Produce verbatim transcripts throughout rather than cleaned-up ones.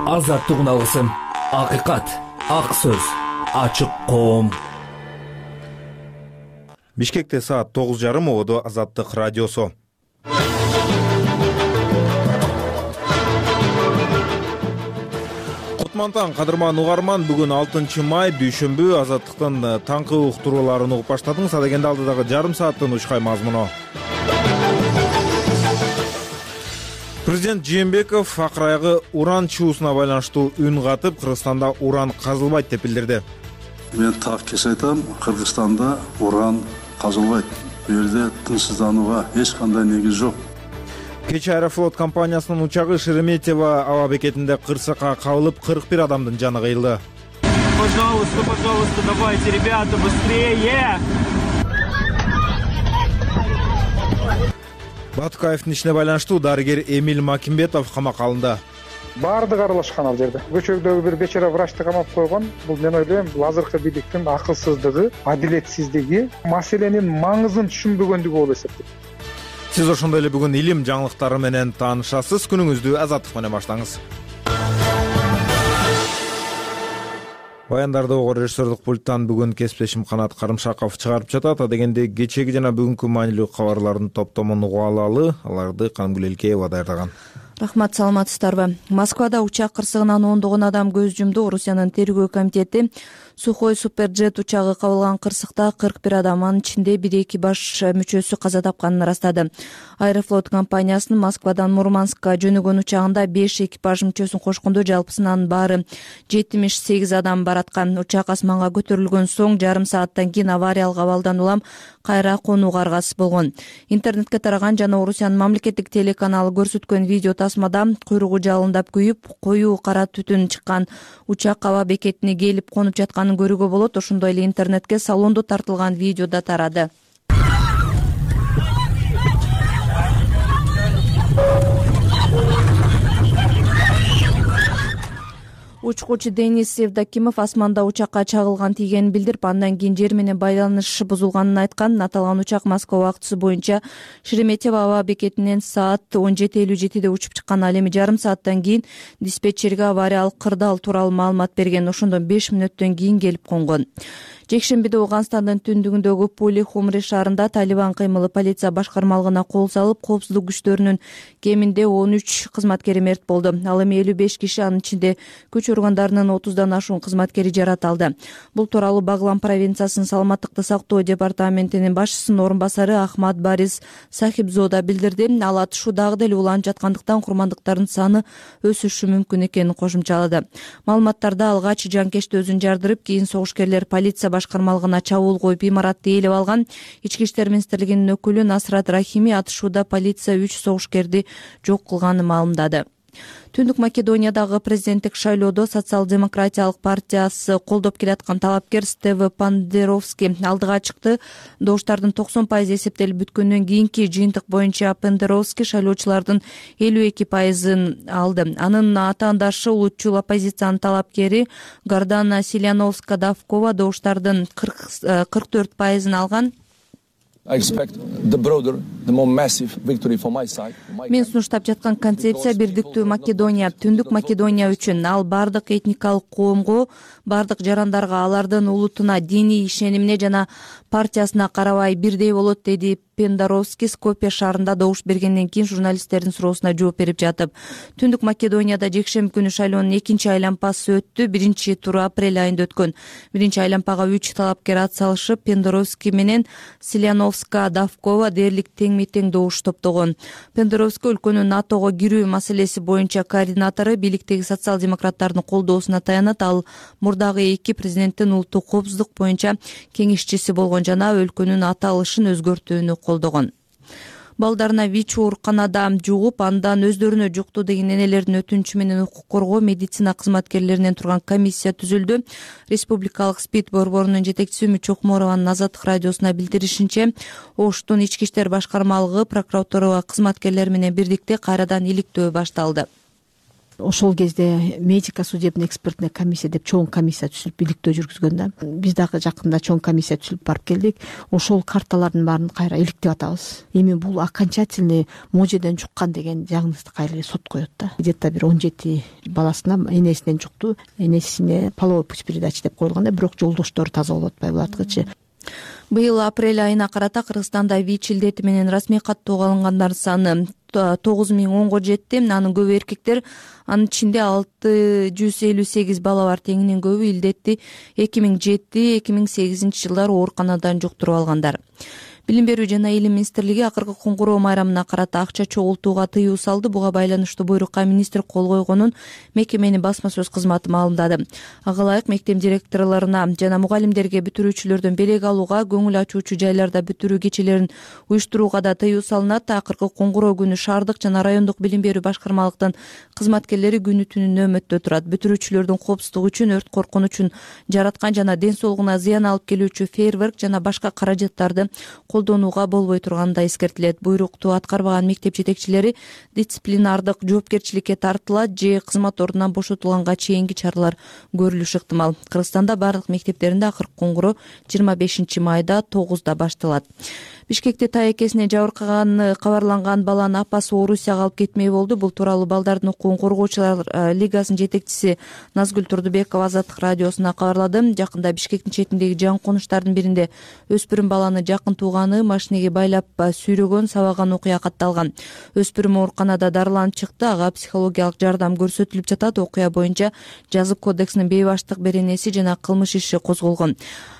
Азаттык алгысым, акыйкат, ак сөз, ачык коом. Бишкекте саат тогуз жарым ободо Азаттык радиосу. Кутмантан кадырман угарман, бүгүн алтынчы май дүйшөмбү. Азаттыктын таңкы уктурууларын угуп баштадыңыз. Адегенде алдыдагы жарым сааттын учкай мазмуну. Президент Жээнбеков акырайгы уран чуусуна байланыштуу үн катып, Кыргызстанда уран казылбайт деп билдирди. Мен так кес айтам, Кыргызстанда уран казылбайт. Бу жерде тынчсызданууга эч кандай негиз жок. Кечээ Аэрофлот компаниясынын учагы Шереметьево аба бекетинде кырсыкка кабылып, кырк бир адамдын жаны кыйылды. Пожалуйста, пожалуйста, давайте, ребята, быстрее! Батукаевдин ишине байланыштуу дарыгер Эмиль Макимбетов камакка алынды. Баардыгы аралашкан ал жерде. Көчөгдөгү бир бечара врачты камап койгон. Бул мен ойлойм, бул азыркы бийликтин акылсыздыгы, адилетсиздиги, маселенин маңызын түшүнбөгөндүгү болуп эсептейт. Сиз ошондой эле бүгүн илим жаңылыктары менен таанышасыз. Күнүңүздү Азаттык менен баштаңыз. Баяндарды ого режиссерлук пульттан бүгүн кесиптешим Канат Карымшаков чыгарып жатат. Адегенде кечеги жана бүгүнкү маанилүү кабарлардын топтомун угуп алалы. Аларды Камгүл Элкеева даярдаган. Рахмат, саламатсыздарбы? Москвада учак кырсыгынан ондогон адам көз жумду. Орусиянын тергөө комитети Сухой суперджет учагы кабылган кырсыкта кырк бир адам, анын ичинде бир экипаж мүчөсү каза тапканын ырастады. Аэрофлот компаниясынын Москвадан Мурманскка жөнөгөн учагында беш экипаж мүчөсүн кошкондо жалпысынан баары жетимиш сегиз адам бараткан. Учак асманга көтөрүлгөн соң жарым сааттан кийин авариялык абалдан улам кайра конууга аргасыз болгон. Интернетке тараган жана Орусиянын мамлекеттик телеканалы көрсөткөн видео тасмада куйругу жалындап күйүп, коюу кара түтүн чыккан учак аба бекетине келип конуп жатканын көрүүгө болот. Ошондой эле интернетке салондо тартылган видео да тарады. Учкучу Денис Евдокимов асманда учакка чагылган тийгенин билдирип, андан кийин жер менен байланыш бузулганын айткан. Аталган учак Москва убактысы боюнча Шереметьево аба бекетинен саат он жети элүү жетиде учуп чыккан. Ал эми жарым сааттан кийин диспетчерге авариялык кырдаал тууралуу маалымат берген. Ошондон беш мүнөттөн кийин келип конгон. Жекшембиде Ооганстандын түндүгүндөгү Пули Хумри шаарында Талибан кыймылы полиция башкармалыгына кол салып, коопсуздук күчтөрүнүн кеминде он үч кызматкери мерт болду. Ал эми элүү беш киши, анын ичинде күч органдарынын отуздан ашуун кызматкери жаратылды. Бул тууралуу Баглан провинциясынын саламаттыкты сактоо департаментинин башчысынын орун басары Ахмад Барис Сахибзода билдирди. Ал атышуу дагы деле уланып жаткандыктан курмандыктардын саны өсүшү мүмкүн экенин кошумчалады. Маалыматтарда алгач жанкечти өзүн жардырып, кийин согушкерлер полиция башкармалыгына чабуул коюп имаратты ээлеп алган. Ички иштер министрлигинин өкүлү Насрат Рахими атышууда полиция үч согушкерди жок кылганын маалымдады. Түндүк Македониядагы президенттик шайлоодо Социал-демократиялык партиясы колдоп келаткан талапкер Стево Пандеровский алдыга чыкты. Добуштардын токсон пайызы эсептелип бүткөндөн кийинки жыйынтык боюнча Пандеровский шайлоочулардын элүү эки пайызын алды. Анын атаандашы улутчул оппозициянын талапкери Гордана Силановска-Давкова добуштардын кырк төрт пайызын алган. Мен сунуштап жаткан концепция бирдиктүү Македония, түндүк Македония үчүн. Ал бардык этникалык коомго, бардык жарандарга, алардын улутуна, диний ишенимине жана партиясына карабай бирдей болот, деди Пендоровский Скопье шаарында добуш бергенден кийин журналисттердин суроосуна жооп берип жатып. Түндүк Македонияда жекшемби күнү шайлоонун экинчи айлампасы өттү. Биринчи туру апрель айында өткөн. Биринчи айлампага үч талапкер ат салышып, Пендоровский менен Силановска-Давкова дээрлик тең-тең добуш топтогон. Пендоровский өлкөнүн НАТОго кирүү маселеси боюнча координатору, бийликтеги социал-демократтардын колдоосуна таянат. Ал мурдагы эки президенттин улуттук коопсуздук боюнча кеңешчиси болгон жана өлкөнүн аталышын өзгөртүүнү колдогон. Балдарына ВИЧ ооруканада жугуп, андан өздөрүнө жукту деген энелердин өтүнүчү менен укук коргоо медицина кызматкерлеринен турган комиссия түзүлдү. Республикалык СПИД борборунун жетекчиси Үмүт Чокморованын Азаттык радиосуна билдиришинче, Оштун ички иштер башкармалыгы прокуратура кызматкерлери менен бирдикте кайрадан иликтөө башталды. ошол кезде медико-судебный экспертная комиссия деп чоң комиссия түзүлүп иликтөө жүргүзгөн да. Биз дагы жакында чоң комиссия түзүлүп барып келдик. Ошол карталардын баарын кайра иликтеп атабыз. Эми бул окончательный можеден жуккан деген диагнозду кайра сот коет да. Где-то бир он жети баласына энесинен жукту, энесине половой путь передачи деп коюлган да, бирок жолдоштору таза болуп атпайбы булардыкычы. Быйыл апрель айына карата Кыргызстанда ВИЧ илдети менен расмий каттоого алынгандардын саны тогуз миң онго жетти. Анын көбү эркектер, анын ичинде алты жүз элүү сегиз бала бар. Теңинен көбү илдетти эки миң жети эки миң сегизинчи жылдары ооруканадан жуктуруп алгандар. Билим берүү жана илим министрлиги акыркы коңгуроо майрамына карата акча чогултууга тыюу салды. Буга байланыштуу буйрукка министр кол койгонун мекеменин басма сөз кызматы маалымдады. Ага ылайык мектеп директорлоруна жана мугалимдерге бүтүрүүчүлөрдөн белек алууга, көңүл ачуучу жайларда бүтүрүү кечелерин уюштурууга да тыюу салынат. Акыркы коңгуроо күнү шаардык жана райондук билим берүү башкармалыктын кызматкерлери күнү түнү нөөмөттө турат. Бүтүрүүчүлөрдүн коопсуздугу үчүн, өрт коркунучун жараткан жана ден соолугуна зыян алып келүүчү фейерверк жана башка каражаттарды колдонууга болбой турганы да эскертилет. Буйрукту аткарбаган мектеп жетекчилери дисциплинардык жоопкерчиликке тартылат же кызмат ордунан бошотулганга чейинки чаралар көрүлүшү ыктымал. Кыргызстанда бардык мектептеринде акыркы коңгуроо жыйырма бешинчи майда тогузда башталат. Бишкекте таекесине жабыркаганы кабарланган баланы апасы Орусияга алып кетмей болду. Бул тууралуу балдардын укугун коргоочулар лигасынын жетекчиси Назгүл Турдубекова Азаттык радиосуна кабарлады. Жакында Бишкектин четиндеги жаңы конуштардын биринде өспүрүм баланы жакын тууганы машинеге байлап сүйрөгөн, сабаган окуя катталган. Өспүрүм ооруканада дарыланып чыкты. Ага психологиялык жардам көрсөтүлүп жатат. Окуя боюнча жазык кодексинин бейбаштык беренеси жана кылмыш иши козголгон.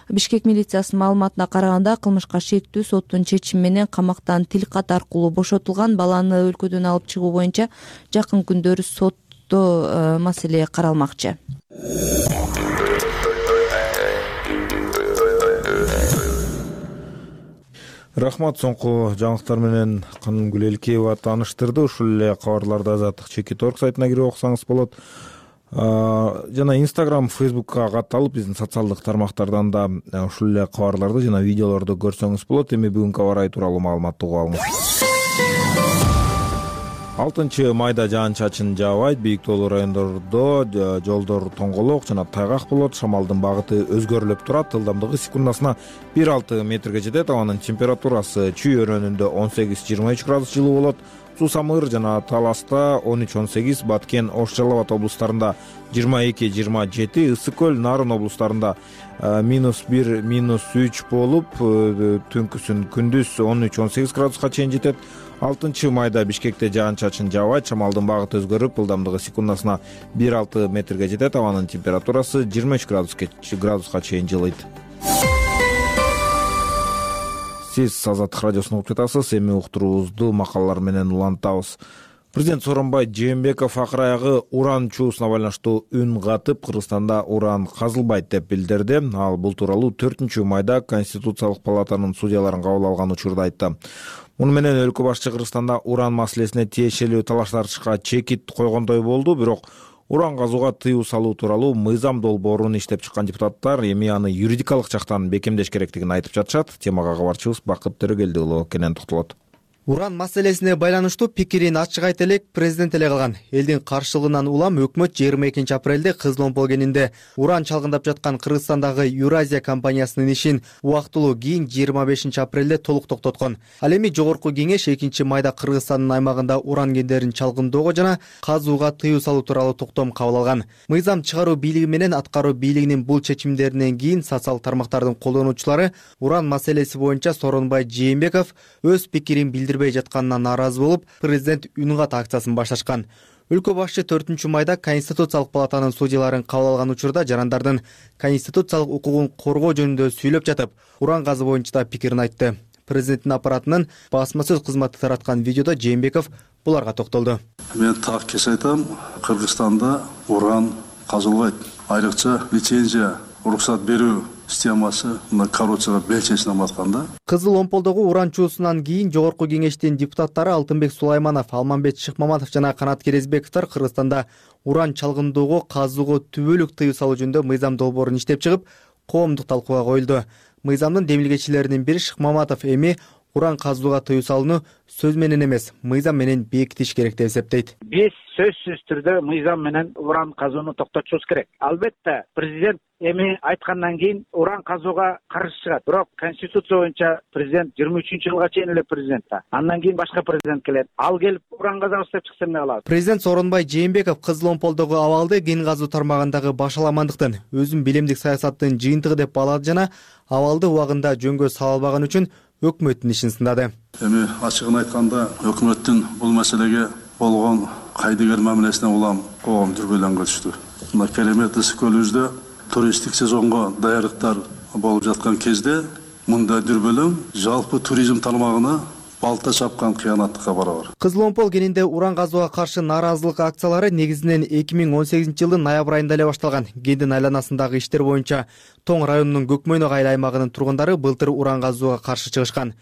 Бишкек милициясынын маалыматына караганда кылмышка шектүү соттун чечими менен камактан тилкат аркылуу бошотулган. Баланы өлкөдөн алып чыгуу боюнча жакын күндөрү сотто маселе каралмакчы. Рахмат, соңку жаңылыктар менен Канымгүл Элкеева тааныштырды. Ушул эле кабарларды Азаттык чекит точка орг сайтына кирип окусаңыз болот. Жана Instagram, Facebookка катталып, биздин социалдык тармактардан да ушул эле кабарларды жана видеолорду көрсөңүз болот. Эми бүгүнкү аба ырайы тууралуу маалыматты угуп алыңыз. алтынчы майда жаан-чачын жаабайт. Бийик тоолуу райондордо жолдор тоңголок жана тайгак болот. Шамалдын багыты өзгөрүлүп турат. Ылдамдыгы секундасына бир алты метрге жетет. Абанын температурасы Чүй өрөөнүндө он сегиз жыйырма үч градус жылуу болот. Суу-Самыр жана Таласта он үч он сегиз, Баткен, Ош Жалал Абад облустарында жыйырма эки жыйырма жети, Ысык көл, Нарын облустарында минус бир минус үч болуп, түнкүсүн күндүз он үч он сегиз градуска чейин жетет. алтынчы майда Бишкекте жаан-чачын жаабайт. Шамалдын багыты өзгөрүп, ылдамдыгы секундасына бир алты метрге жетет. Абанын температурасы жыйырма үч градуска чейин жылыйт. Сиз Азаттык радиосун угуп жатасыз. Эми уктуруубузду макалалар менен улантабыз. Президент Сооронбай Жээнбеков акыр аягы уран чуусуна байланыштуу үн катып, Кыргызстанда уран казылбайт деп билдирди. Ал бул тууралуу төртүнчү майда Конституциялык палатанын судьяларын кабыл алган учурда айтты. Муну менен өлкө башчы Кыргызстанда уран маселесине тиешелүү талаш тартышка чекит койгондой болду. Бирок уран казууга тыюу салуу тууралуу мыйзам долбоорун иштеп чыккан депутаттар эми аны юридикалык жактан бекемдеш керектигин айтып жатышат. Темага кабарчыбыз Бакыт Төрөгелди уулу кенен токтолот. Уран маселесине байланыштуу пикирин ачык айта элек президент эле калган. Элдин каршылыгынан улам өкмөт жыйырма экинчи апрелде Кызыл Омпол кенинде уран чалгындап жаткан Кыргызстандагы Юразия компаниясынын ишин убактылуу кийин жыйырма бешинчи апрелде толук токтоткон. Ал эми жогорку кеңеш экинчи майда Кыргызстандын аймагында уран кендерин чалгындоого жана казууга тыюу салуу тууралуу токтом кабыл алган. Мыйзам чыгаруу бийлиги менен аткаруу бийлигинин бул чечимдеринен кийин социалдык тармактардын колдонуучулары уран маселеси боюнча Сооронбай Жээнбеков өз пикирин билдирбей жатканына нааразы болуп, президент үн кат акциясын башташкан. Өлкө башчы төртүнчү майда Конституциялык палатанын судьяларын кабыл алган учурда жарандардын конституциялык укугун коргоо жөнүндө сүйлөп жатып, уран казуу боюнча да пикирин айтты. Президенттин аппаратынын басма сөз кызматы тараткан видеодо Жээнбеков буларга токтолду. Мен так кес айтам, Кыргызстанда уран казылбайт. Айрыкча лицензия, уруксат берүү системасы мына коррупцияга бел чечип атканда. Кызыл Омполдогу уран чуусунан кийин жогорку кеңештин депутаттары Алтынбек Сулайманов, Алмамбет Шыкмаматов жана Канат Керезбековдор Кыргызстанда уран чалгындоого, казууга түбөлүк тыюу салуу жөнүндө мыйзам долбоорун иштеп чыгып, коомдук талкууга коюлду. Мыйзамдын демилгечилеринин бири Шыкмаматов эми уран казууга тыюу салууну сөз менен эмес, мыйзам менен бекитиш керек деп эсептейт. Биз сөзсүз түрдө мыйзам менен уран казууну токтотушубуз керек. Албетте президент эми айткандан кийин уран казууга каршы чыгат. Бирок конституция боюнча президент жыйырма үчүнчү жылга чейин эле президент да. Андан кийин башка президент келет. Ал келип уран казабыз деп чыкса эмне кылабыз? Президент Сооронбай Жээнбеков Кызыл Омполдогу абалды кен казуу тармагындагы башаламандыктын, өзүн билимдик саясаттын жыйынтыгы деп баалады жана абалды убагында жөнгө сала албаган үчүн өкмөттүн ишин сындады. Эми ачыгын айтканда өкмөттүн бул маселеге болгон кайдыгер мамилесине улам коом дүрбөлөнгө түштү. Мына керемет ысык көлүбүздө туристтик сезонго даярдыктар болуп жаткан кезде мындай дүрбөлөң жалпы туризм тармагына балта чапкан кыянаттыкка барабар. Кызыл Омпол кенинде уран казууга каршы нааразылык акциялары негизинен эки миң он сегизинчи жылдын ноябрь айында эле башталган. Кендин айланасындагы иштер боюнча Тоң районунун Көкмөйнөк айыл аймагынын тургундары былтыр уран казууга каршы чыгышкан.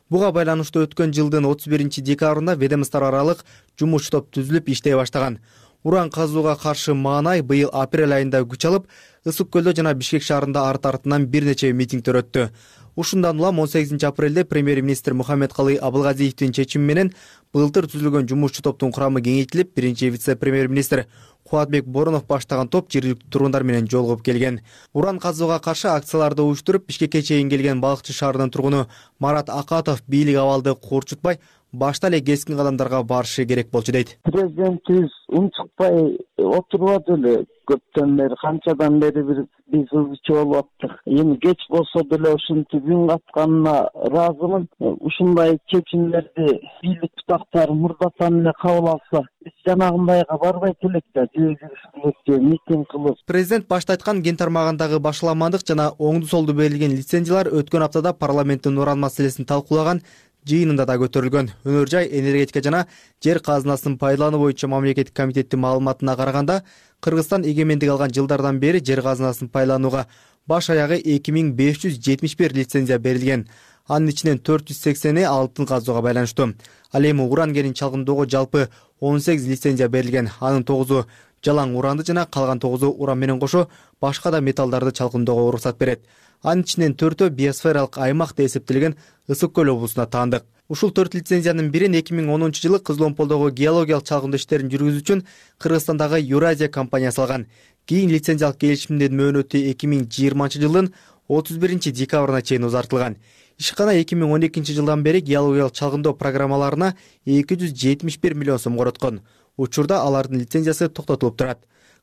Буга байланыштуу өткөн жылдын отуз биринчи декабрында ведомство аралык жумуш топ түзүлүп иштей баштаган. Уран казууга каршы маанай быйыл апрель айында күч алып, Ысык көлдө жана Бишкек шаарында арт артынан бир нече митингдер өттү. Ушундан улам он сегизинчи апрелде премьер-министр Мухаммедкалый Абылгазиевдин чечими менен былтыр түзүлгөн жумушчу топтун курамы кеңейтилип, биринчи вице-премьер-министр Кубатбек Боронов баштаган топ жергиликтүү тургундар менен жолугуп келген. Уран казууга каршы акцияларды уюштуруп, Бишкекке чейин келген Балыкчы шаарынын тургуну Марат Акатов бийлик абалды куурчутпай, башта эле кескин кадамдарга барышы керек болчу дейт. Президентибиз унчукпай отурбады эле. Көптөн бери, канчадан бери бир биз ызычы болуп аттык. Эми кеч болсо деле ушинтип үн катканына ыраазымын. Ушундай чечимдерди бийлик бутактары мурдатан эле кабыл алса, биз жанагындайга барбайт элек да, жыйылып митинг кылып. Президент башта айткан кен тармагындагы башаламандык жана оңду солду берилген лицензиялар өткөн аптада парламенттин уран маселесин талкуулаган жыйынында да көтөрүлгөн. Өнөр жай, энергетика жана жер казынасын пайдалануу боюнча мамлекеттик комитеттин маалыматына караганда, Кыргызстан эгемендик алган жылдардан бери жер казынасын пайдаланууга баш аягы эки миң беш жүз жетимиш бир лицензия берилген. Анын ичинен төрт жүз сексени алтын казууга байланыштуу. Ал эми уран кенин чалгындоого жалпы он сегиз лицензия берилген. Анын тогузу жалаң уранды жана калган тогузу уран менен кошо башка да металлдарды чалгындоого уруксат берет. Анын ичинен төртөө биосфералык аймак деп эсептелген Ысык көл облусуна таандык. Ушул төрт лицензиянын бирин эки миң онунчу жылы Кызыл Омполдогу геологиялык чалгындоо иштерин жүргүзүү үчүн Кыргызстандагы Юразия компаниясы алган. Кийин лицензиялык келишимдин мөөнөтү эки миң жыйырманчы жылдын отуз биринчи декабрына чейин узартылган. Ишкана эки миң он экинчи жылдан бери геологиялык чалгындоо программаларына эки жүз жетимиш бир миллион сом короткон. Учурда алардын лицензиясы токтотулуп турат.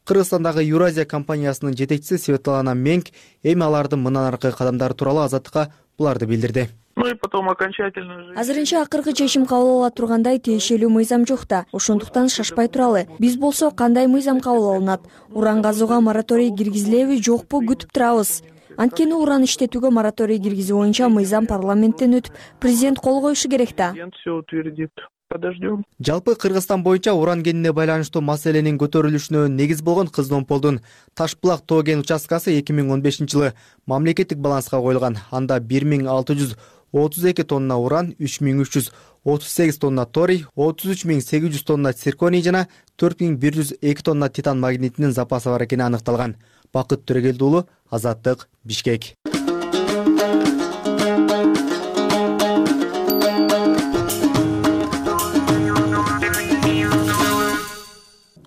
Кыргызстандагы Юразия компаниясынын жетекчиси Светлана Менг эми алардын мындан аркы кадамдары тууралуу Азаттыкка буларды билдирди. Ну и потом окончательно. Азырынча акыркы чечим кабыл ала тургандай тиешелүү мыйзам жок да. Ошондуктан шашпай туралы. Биз болсо кандай мыйзам кабыл алынат? Уран казууга мораторий киргизилеби, жокпу күтүп турабыз. Анткени уран иштетүүгө мораторий киргизүү боюнча мыйзам парламенттен өтүп, президент кол коюшу керек да. Президент все утвердит. Подождем. Жалпы Кыргызстан боюнча уран кенине байланыштуу маселенин көтөрүлүшүнө негиз болгон Кызыл Омполдун Ташбулак тоо кен участкасы эки миң он бешинчи жылы мамлекеттик баланска коюлган. Анда бир миң алты жүз отуз эки тонна уран, үч миң үч жүз отуз сегиз тонна торий, отуз үч миң сегиз жүз тонна цирконий жана төрт миң бир жүз эки тонна титан магнитинин запасы бар экени аныкталган. Бакыт Төрөгелди уулу, Азаттык, Бишкек.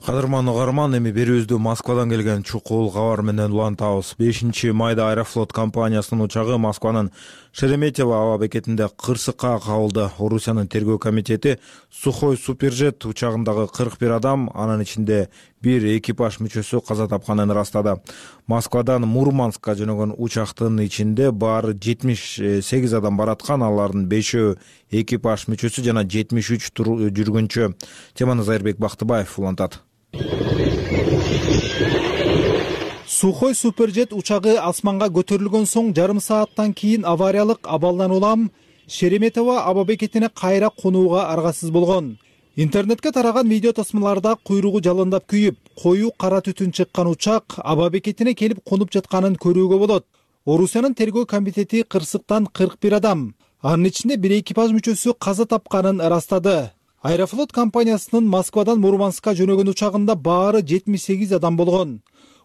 Кадырман угарман, эми берүүбүздү Москвадан келген чукул кабар менен улантабыз. бешинчи майда Аэрофлот компаниясынын учагы Москванын Шереметьево аба бекетинде кырсыкка кабылды. Орусиянын тергөө комитети Сухой Суперджет учагындагы кырк бир адам, анын ичинде бир экипаж мүчөсү каза тапканын ырастады. Москвадан Мурманскка жөнөгөн учактын ичинде баары жетимиш сегиз адам бараткан, алардын бешөө экипаж мүчөсү жана жетимиш үч жүргүнчү. Теманы Зайырбек Бактыбаев улантат. Сухой Суперджет учагы асманга көтөрүлгөн соң жарым сааттан кийин авариялык абалдан улам Шереметьево аба бекетине кайра конууга аргасыз болгон. Интернетке тараган видео тасмаларда куйругу жалындап күйүп, коюу кара түтүн чыккан учак аба бекетине келип конуп жатканын көрүүгө болот. Орусиянын тергөө комитети кырсыктан кырк бир адам, анын ичинде бир экипаж мүчөсү каза тапканын ырастады. Аэрофлот компаниясынын Москвадан Мурманскка жөнөгөн учагында баары жетимиш сегиз адам болгон.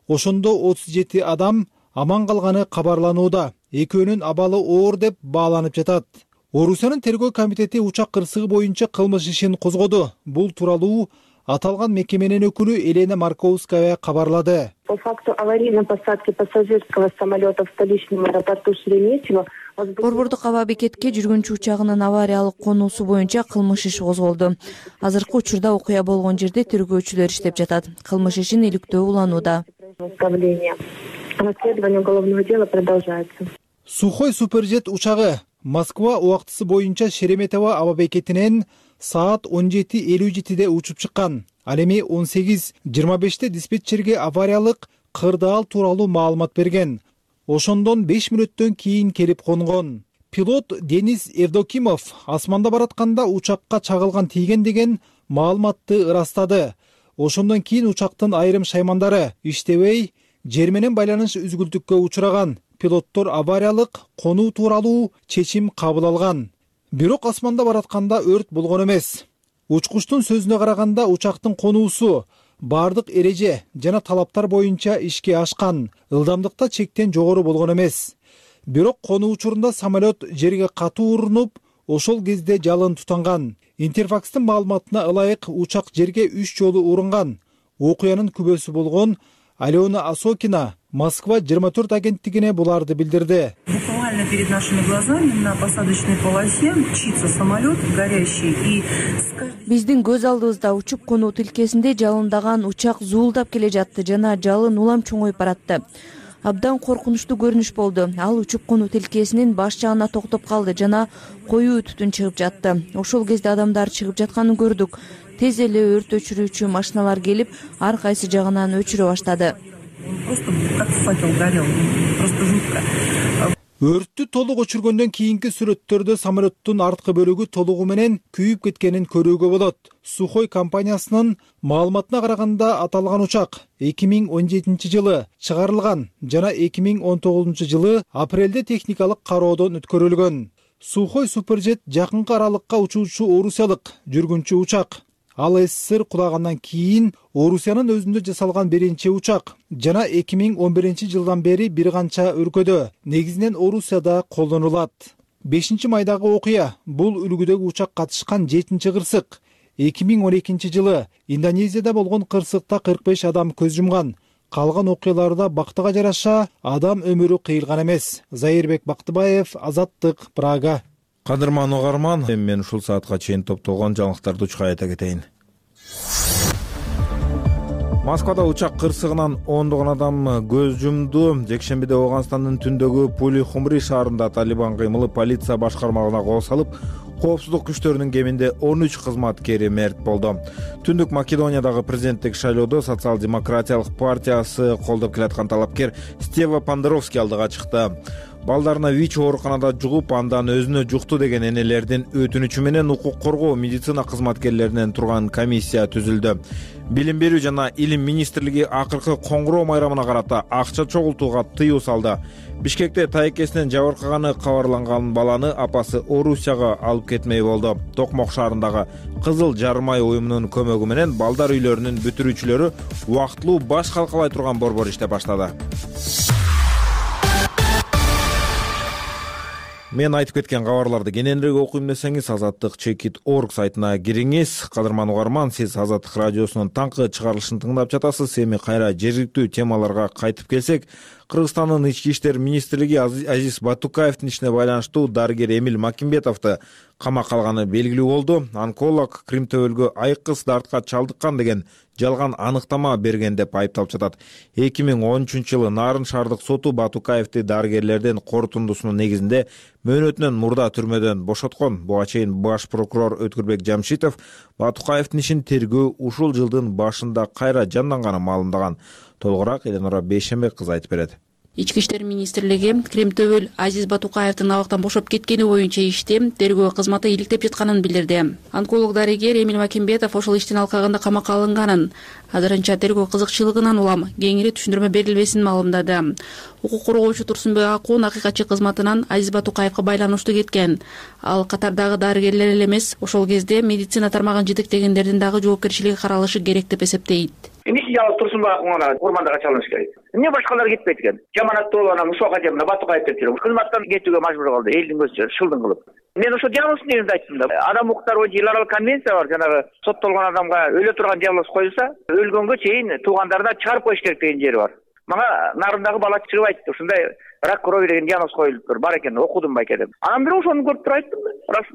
Ошондо отуз жети адам аман калганы кабарланууда. Экөөнүн абалы оор деп бааланып жатат. Орусиянын тергөө комитети учак кырсыгы боюнча кылмыш ишин козгоду. Бул тууралуу аталган мекеменин өкүлү Елена Марковская кабарлады. По факту аварийной посадки пассажирского самолета в столичном аэропорту Шереметьево Борбордук аба бекетке жүргүнчү учагынын авариялык конуусу боюнча кылмыш иши козголду. Азыркы учурда окуя болгон жерде тергөөчүлөр иштеп жатат. Кылмыш ишин иликтөө уланууда. Расследование уголовного дела продолжается. Сухой суперджет учагы Москва убактысы боюнча Шереметьево аба бекетинен саат он жети элүү жетиде учуп чыккан. Ал эми он сегиз жыйырма беште диспетчерге авариялык кырдаал тууралуу маалымат берген. Ошондон беш мүнөттөн кийин келип конгон. Пилот Денис Евдокимов асманда баратканда учакка чагылган тийген деген маалыматты ырастады. Ошондон кийин учактын айрым шаймандары иштебей, жер менен байланыш үзгүлтүккө учураган. Пилоттор авариялык конуу тууралуу чечим кабыл алган. Бирок асманда баратканда өрт болгон эмес. Учкучтун сөзүнө караганда учактын конуусу бардык эреже жана талаптар боюнча ишке ашкан, ылдамдыкта чектен жогору болгон эмес. Бирок конуу учурунда самолет жерге катуу урунуп, ошол кезде жалын тутанган. Интерфакстын маалыматына ылайык учак жерге үч жолу урунган. Окуянын күбөсү болгон Алена Осокина Москва жыйырма төрт агенттигине буларды билдирди. Буквально перед нашими глазами на посадочной полосе мчится самолет горящий и Биздин көз алдыбызда учуп конуу тилкесинде жалындаган учак зуулдап келе жатты жана жалын улам чоңоюп баратты. Абдан коркунучтуу көрүнүш болду. Ал учуп конуу тилкесинин баш жагына токтоп калды жана коюу түтүн чыгып жатты. Ошол кезде адамдар чыгып жатканын көрдүк. Тез эле өрт өчүрүүчү машиналар келип, ар кайсы жагынан өчүрө баштады. Өрттү толук өчүргөндөн кийинки сүрөттөрдө самолеттун арткы бөлүгү толугу менен күйүп кеткенин көрүүгө болот. Сухой компаниясынын маалыматына караганда аталган учак эки миң он жетинчи жылы чыгарылган жана эки миң он тогузунчу жылы апрелде техникалык кароодон өткөрүлгөн. Сухой суперджет жакынкы аралыкка учуучу орусиялык жүргүнчү учак. Ал СССР кулагандан кийин Орусиянын өзүндө жасалган биринчи учак жана эки миң он биринчи жылдан бери бир канча өлкөдө, негизинен Орусияда колдонулат. бешинчи майдагы окуя бул үлгүдөгү учак катышкан жетинчи кырсык. эки миң он экинчи жылы Индонезияда болгон кырсыкта кырк беш адам көз жумган. Калган окуяларда бактыга жараша адам өмүрү кыйылган эмес. Заирбек Бактыбаев, Азаттык, Прага. Кадырман угарман, мен ушул саатка чейин топтолгон жаңылыктарды учка айта кетейин. Москвада учак кырсыгынан ондогон адам көз жумду. Жекшембиде Ооганстандын түндөгү Пули-Хумри шаарында Талибан кыймылы полиция башкармалыгына кол салып, коопсуздук күчтөрүнүн кеминде он үч кызматкери мерт болду. Түндүк Македониядагы президенттик шайлоодо Социал-демократиялык партиясы колдоп келаткан талапкер Стева Пандеровский алдыга чыкты. Балдарына ВИЧ ооруканада жугуп, андан өзүнө жукту деген энелердин өтүнүчү менен укук коргоо медицина кызматкерлеринен турган комиссия түзүлдү. Билим берүү жана илим министрлиги акыркы коңгуроо майрамына карата акча чогултууга тыюу салды. Бишкекте тайкесинен жабыркаганы кабарланган баланы апасы Орусияга алып кетмей болду. Токмок шаарындагы Кызыл Жармай уюмунун көмөгү менен балдар үйлөрүнүн бүтүрүүчүлөрү убактылуу баш калкалай турган борбор иштеп баштады. Мен айтып кеткен кабарларды кененирээк окуйм десеңиз, азаттык чекит точка орг сайтына кириңиз. Кадырман угарман, сиз Азаттык радиосунун таңкы чыгарылышын тыңдап жатасыз. Эми кайра жергиликтүү темаларга кайтып келсек, Кыргызстандын ички иштер министрлиги Азиз Батукаевдин ишине байланыштуу дарыгер Эмиль Макимбетовду камакка алганы белгилүү болду. Онколог Кримтөбөлгө айкыз дартка чалдыккан деген жалган аныктама берген деп айыпталып жатат. эки миң он үчүнчү жылы Нарын шаардык соту Батукаевди дарыгерлердин корутундусунун негизинде мөөнөтүнөн мурда түрмөдөн бошоткон. Буга чейин баш прокурор Өткүрбек Жамшитов Батукаевдин ишин тергөө ушул жылдын башында кайра жанданганын маалымдаган. Толугураак Эленора Бейшембек кызы айтып берет. Ички иштер министрлиги Кремтөбөл Азиз Батукаевдин абактан бошоп кеткени боюнча ишти тергөө кызматы иликтеп жатканын билдирди. Онколог дарыгер Эмиль Макимбетов ошол иштин алкагында камакка алынганын, азырынча тергөө кызыкчылыгынан улам кеңири түшүндүрмө берилбесин маалымдады. Укук коргоочу Турсунбек Акун акыйкатчы кызматынан Азиз Батукаевга байланыштуу кеткен. Ал катардагы дарыгерлер эле эмес, ошол кезде медицина тармагын жетектегендердин дагы жоопкерчилиги каралышы керек деп эсептейт. Эмне жалгыз Турсунбек Акунга урмандага чалыныш керек? Эмне башкалар кетпейт экен? Жаманаттуу болуп анан Ушак эже мына Батукаев деп жүрөт. Кызматтан кетүүгө мажбур кылды, элдин көзүнчө шылдың кылып. Мен ошо жаңылсын дегенди айттым да. Адам укуктары боюнча эл аралык конвенция бар, жанагы соттолгон адамга өлө турган диагноз коюлса, өлгөнгө чейин туугандарына чыгарып коюш керек деген жери бар. Мага нарындагы бала чыгып айтты, ушундай рак крови деген диагноз коюлуптур, бар экен, окудум байке деп. Анан бирок ошону көрүп туруп айттым,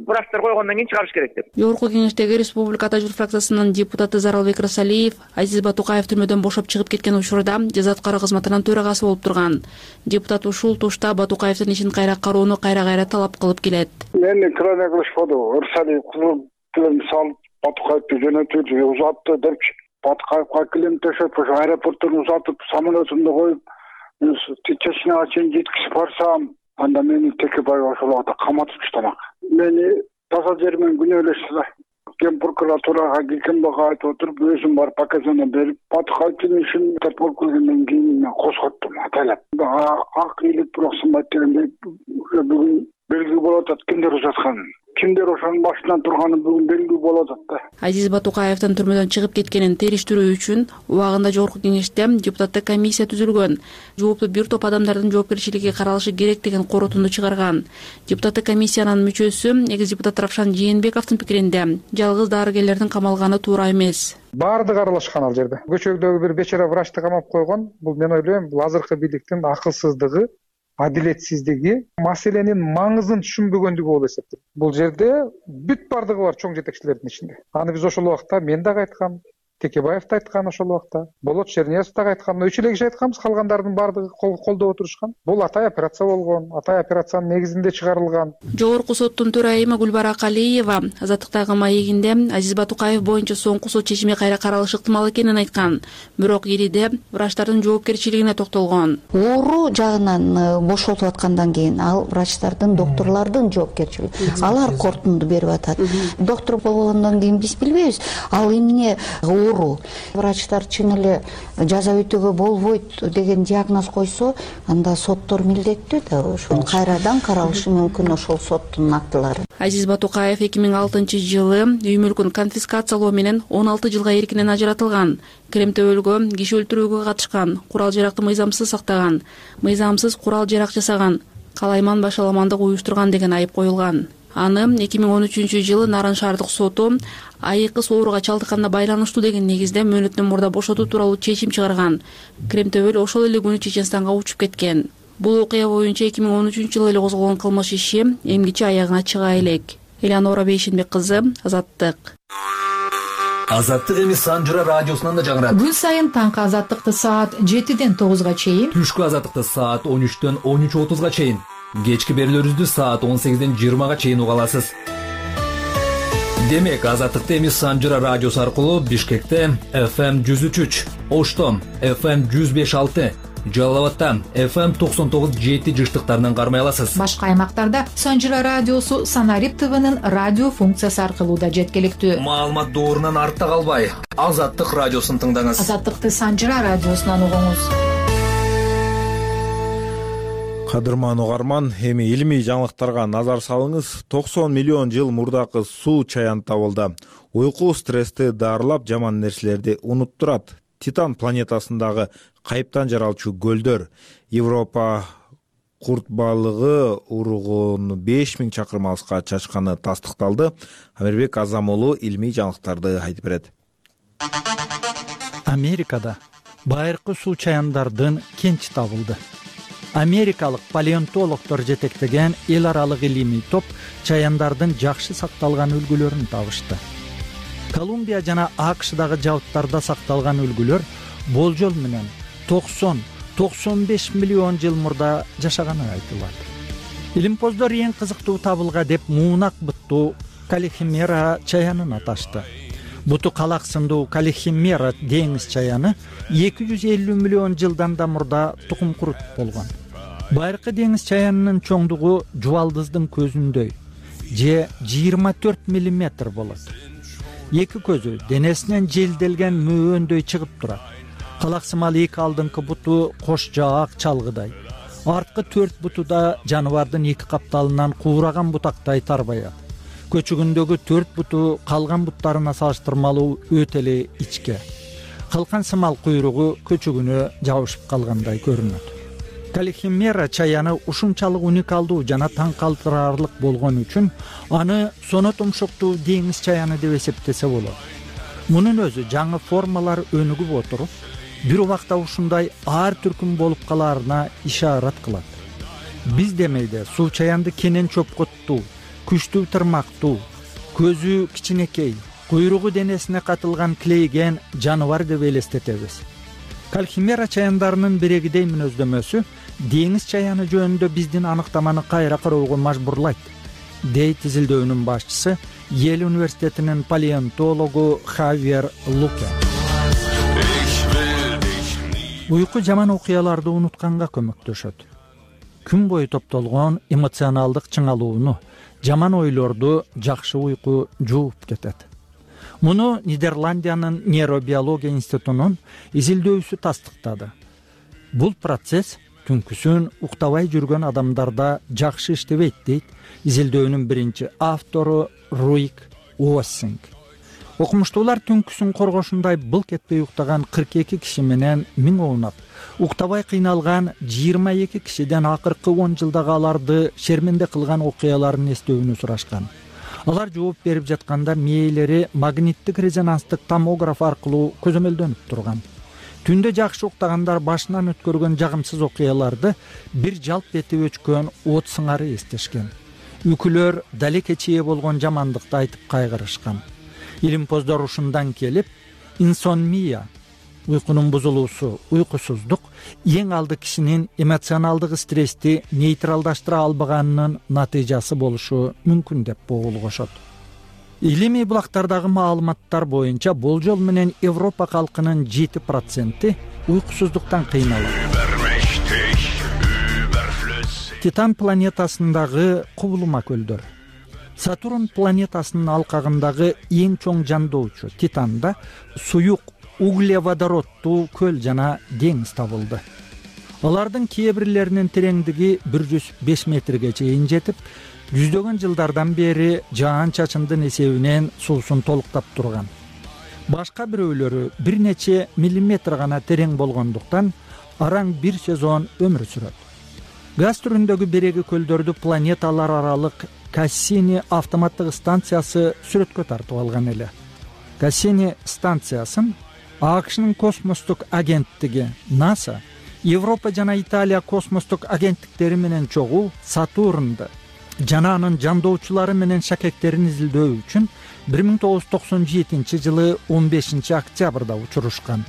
врачтар койгондон кийин чыгарыш керек деп. Жогорку кеңештеги Республика Ата журт фракциясынын депутаты Заралбек Расалиев Азиз Батукаев түрмөдөн бошоп чыгып кеткен учурда жаза аткаруу кызматынын төрагасы болуп турган. Депутат ушул тушта Батукаевдин ишин кайра кароону кайра-кайра талап кылып келет. Мени крайне кылышпады. Расалиев кызыл салып Батукаевди жөнөтүп узатты депчи. Батукаевга килем төшөп, ошо аэропорттон узатып, самолетунду коюп, чечняга чейин жеткизип барсам, анда мени Текебаев ошол убакта каматып таштамак. Мени таза жер менен күнөөлөштү да. Ген прокуратурага Гекенбага айтып отуруп, өзүм барып показания берип, Батукаевдин ишин тап болуп келгенден кийин мен козготтум, атайлап. Ак ийгилик бирок сынбайт дегендей бүгүн белги болуп атат кимдер узатканын. Кимдер ошонун башынан турганы бүгүн белгилүү болуп атат да. Азиз Батукаевдин түрмөдөн чыгып кеткенин териштирүү үчүн убагында жогорку кеңеште депутаттык комиссия түзүлгөн. Жооптуу бир топ адамдардын жоопкерчилиги каралышы керек деген корутунду чыгарган. Депутаттык комиссиянын мүчөсү, экс депутат Равшан Жээнбековдун пикиринде, жалгыз дарыгерлердин камалганы туура эмес. Баардыгы аралашкан ал жерде. Көчөгдөгү бир бечара врачты камап койгон. Бул мен ойлойм, бул азыркы бийликтин акылсыздыгы, адилетсиздиги, маселенин маңызын түшүнбөгөндүгү болуп эсептейт. Бул жерде бүт бардыгы бар чоң жетекчилердин ичинде. Аны биз ошол убакта мен дагы айткам, Текебаев да айткан ошол убакта, Болот Чернесов дагы айткан, үч эле киши айтканбыз, калгандардын бардыгы колдоп отурушкан. Бул атай операция болгон, атай операциянын негизинде чыгарылган. Жогорку соттун төрайымы Гүлбара Калиева азаттыктагы маегинде Азиз Батукаев боюнча соңку сот чечими кайра каралышы ыктымал экенин айткан. Бирок ириде врачтардын жоопкерчилигине токтолгон. Оору жагынан бошотуп аткандан кийин ал врачтардын, докторлордун жоопкерчилиги. Алар корутунду берип атат. Доктор болгондон кийин биз билбейбиз, ал эмне врачтар чын эле жаза өтөөгө болбойт деген диагноз койсо, анда соттор милдеттүү да ошону кайрадан каралышы мүмкүн ошол соттун актылары. Азиз Батукаев эки миң алтынчы жылы үй мүлкүн конфискациялоо менен он алты жылга эркинен ажыратылган. Кремтөөлгө, киши өлтүрүүгө катышкан, курал жаракты мыйзамсыз сактаган, мыйзамсыз курал жарак жасаган, калайман башаламандык уюштурган деген айып коюлган. Аны эки миң он үчүнчү жылы Нарын шаардык соту айыккыс ооруга чалдыкканына байланыштуу деген негизде мөөнөттөн мурда бошотуу тууралуу чечим чыгарган. Кремтөбөл ошол эле күнү Чеченстанга учуп кеткен. Бул окуя боюнча эки миң он үчүнчү жылы эле козголгон кылмыш иши эмгиче аягына чыга элек. Элеонора Бейшенбек кызы, Азаттык. Азаттык эми Санжыра радиосунан да жаңырат. Күн сайын таңкы Азаттыкты саат жетиден тогузга чейин, түшкү Азаттыкты саат он үчтөн он үч отузга чейин, кечки берүүлөрүбүздү саат он сегизден жыйырмага чейин уга аласыз. Демек, Азаттыкты эми Санжыра радиосу аркылуу Бишкекте эф эм жүз үч үч, Ошто эф эм жүз беш алты, Жалал абадта эф эм токсон тогуз жети жыштыктарынан кармай аласыз. Башка аймактарда Санжыра радиосу Санарип ТВнын радио функциясы аркылуу да жеткиликтүү. Маалымат доорунан артта калбай, Азаттык радиосун тыңдаңыз. Азаттыкты Санжыра радиосунан угуңуз. Кадырман угарман, эми илимий жаңылыктарга назар салыңыз. токсон миллион жыл мурдакы суу чаян табылды. Уйку стрессти дарылап, жаман нерселерди унуттурат. Титан планетасындагы кайыптан жаралчу көлдөр, Европа курт балыгы уругун беш миң чакырым алыска чачканы тастыкталды. Амирбек Азамолу илимий жаңылыктарды айтып берет. Америкада байыркы суу чаяндардын кенчи табылды. Америкалык палеонтологдор жетектеген эл аралык илимий топ чаяндардын жакшы сакталган үлгүлөрүн табышты. Колумбия жана АКШдагы жабыттарда сакталган үлгүлөр болжол менен токсон токсон беш миллион жыл мурда жашаганы айтылат. Илимпоздор эң кызыктуу табылга деп муунак буттуу Калихимера чаянын аташты. Буту калак сындуу Калихимера деңиз чаяны эки жүз элүү миллион жылдан да мурда тукум куруп болгон. Байыркы деңиз чаянынын чоңдугу жубалдыздын көзүндөй, же жыйырма төрт миллиметр болот. Эки көзү денесинен желделген мөөндөй чыгып турат. Калаксымал эки алдыңкы буту кош жаак чалгыдай. Арткы төрт буту да жаныбардын эки капталынан куураган бутактай тарбаят. Көчүгүндөгү төрт буту калган буттарына салыштырмалуу өтө эле ичке. калкан сымал куйругу көчөгүнө жабышып калгандай көрүнөт. Калихимера чаяны ушунчалык уникалдуу жана таң калтырарлык болгон үчүн аны соно тумшуктуу деңиз чаяны деп эсептесе болот. Мунун өзү жаңы формалар өнүгүп отуруп, бир убакта ушундай ар түркүм болуп калаарына ишарат кылат. Биз демейде суу чаянды кенен чопкоттуу, күчтүү тырмактуу, көзү кичинекей, куйругу денесине катылган клейген жаныбар деп элестетебиз. Калхимера чаяндарынын бирегидей мүнөздөмөсү деңиз чаяны жөнүндө биздин аныктаманы кайра кароого мажбурлайт, дейт изилдөөнүн башчысы Йел университетинин палеонтологу Хавьер Луке. Уйку жаман окуяларды унутканга көмөктөшөт. Күн бою топтолгон эмоционалдык чыңалууну, жаман ойлорду жакшы уйку жууп кетет. Муну Нидерландиянын нейробиология институтунун изилдөөсү тастыктады. Бул процесс түнкүсүн уктабай жүргөн адамдарда жакшы иштебейт, дейт изилдөөнүн биринчи автору Руик Уоссинг. Окумуштуулар түнкүсүн коргошундай былк этпей уктаган кырк эки киши менен миң оунап, уктабай кыйналган жыйырма эки кишиден акыркы он жылдагы аларды шерменде кылган окуяларын эстөөнү сурашкан. Алар жооп берип жатканда мээлери магниттик резонанстык томограф аркылуу көзөмөлдөнүп турган. Түндө жакшы уктагандар башынан өткөргөн жагымсыз окуяларды бир жалп этип өчкөн от сыңары эстешкен. Үкүлөр далеке чие болгон жамандыкты айтып кайгырышкан. Илимпоздор ушундан келип, инсомния, уйкунун бузулуусу, уйкусуздук эң алды кишинин эмоционалдык стрессти нейтралдаштыра албаганынын натыйжасы болушу мүмкүн деп болгошот. Илимий булактардагы маалыматтар боюнча болжол менен Европа калкынын жети проценти уйкусуздуктан кыйналат. Титан планетасындагы кубулма көлдөр. Сатурн планетасынын алкагындагы эң чоң жандоочу Титанда суюк углеводороддуу көл жана деңиз табылды. Алардын кээ бирлеринин тереңдиги бир жүз беш метрге чейин жетип, жүздөгөн жылдардан бери жаан-чачындын эсебинен суусун толуктап турган. Башка бирөөлөрү бир нече миллиметр гана терең болгондуктан араң бир сезон өмүр сүрөт. Газ түрүндөгү береги көлдөрдү планеталар аралык Кассини автоматтык станциясы сүрөткө тартып алган эле. Кассини станциясын АКШнын космостук агенттиги НАСА, Европа жана Италия космостук агенттиктери менен чогуу Сатурнду жана анын жандоочулары менен шакектерин изилдөө үчүн бир миң тогуз жүз токсон жетинчи жылы он бешинчи октябрда учурушкан.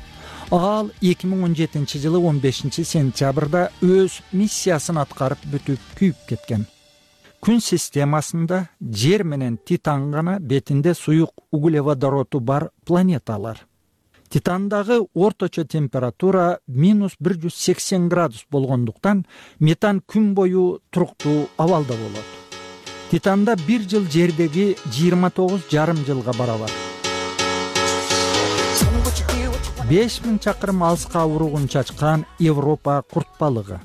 Ал эки миң он жетинчи жылы он бешинчи сентябрда өз миссиясын аткарып бүтүп күйүп кеткен. Күн системасында Жер менен Титан гана бетинде суюк углеводороду бар планеталар. Титандагы орточо температура минус бир жүз сексен градус болгондуктан метан күн бою туруктуу абалда болот. Титанда бир жыл Жердеги жыйырма тогуз жарым жылга барабар. беш миң чакырым алыска уругун чачкан Европа курт балыгы.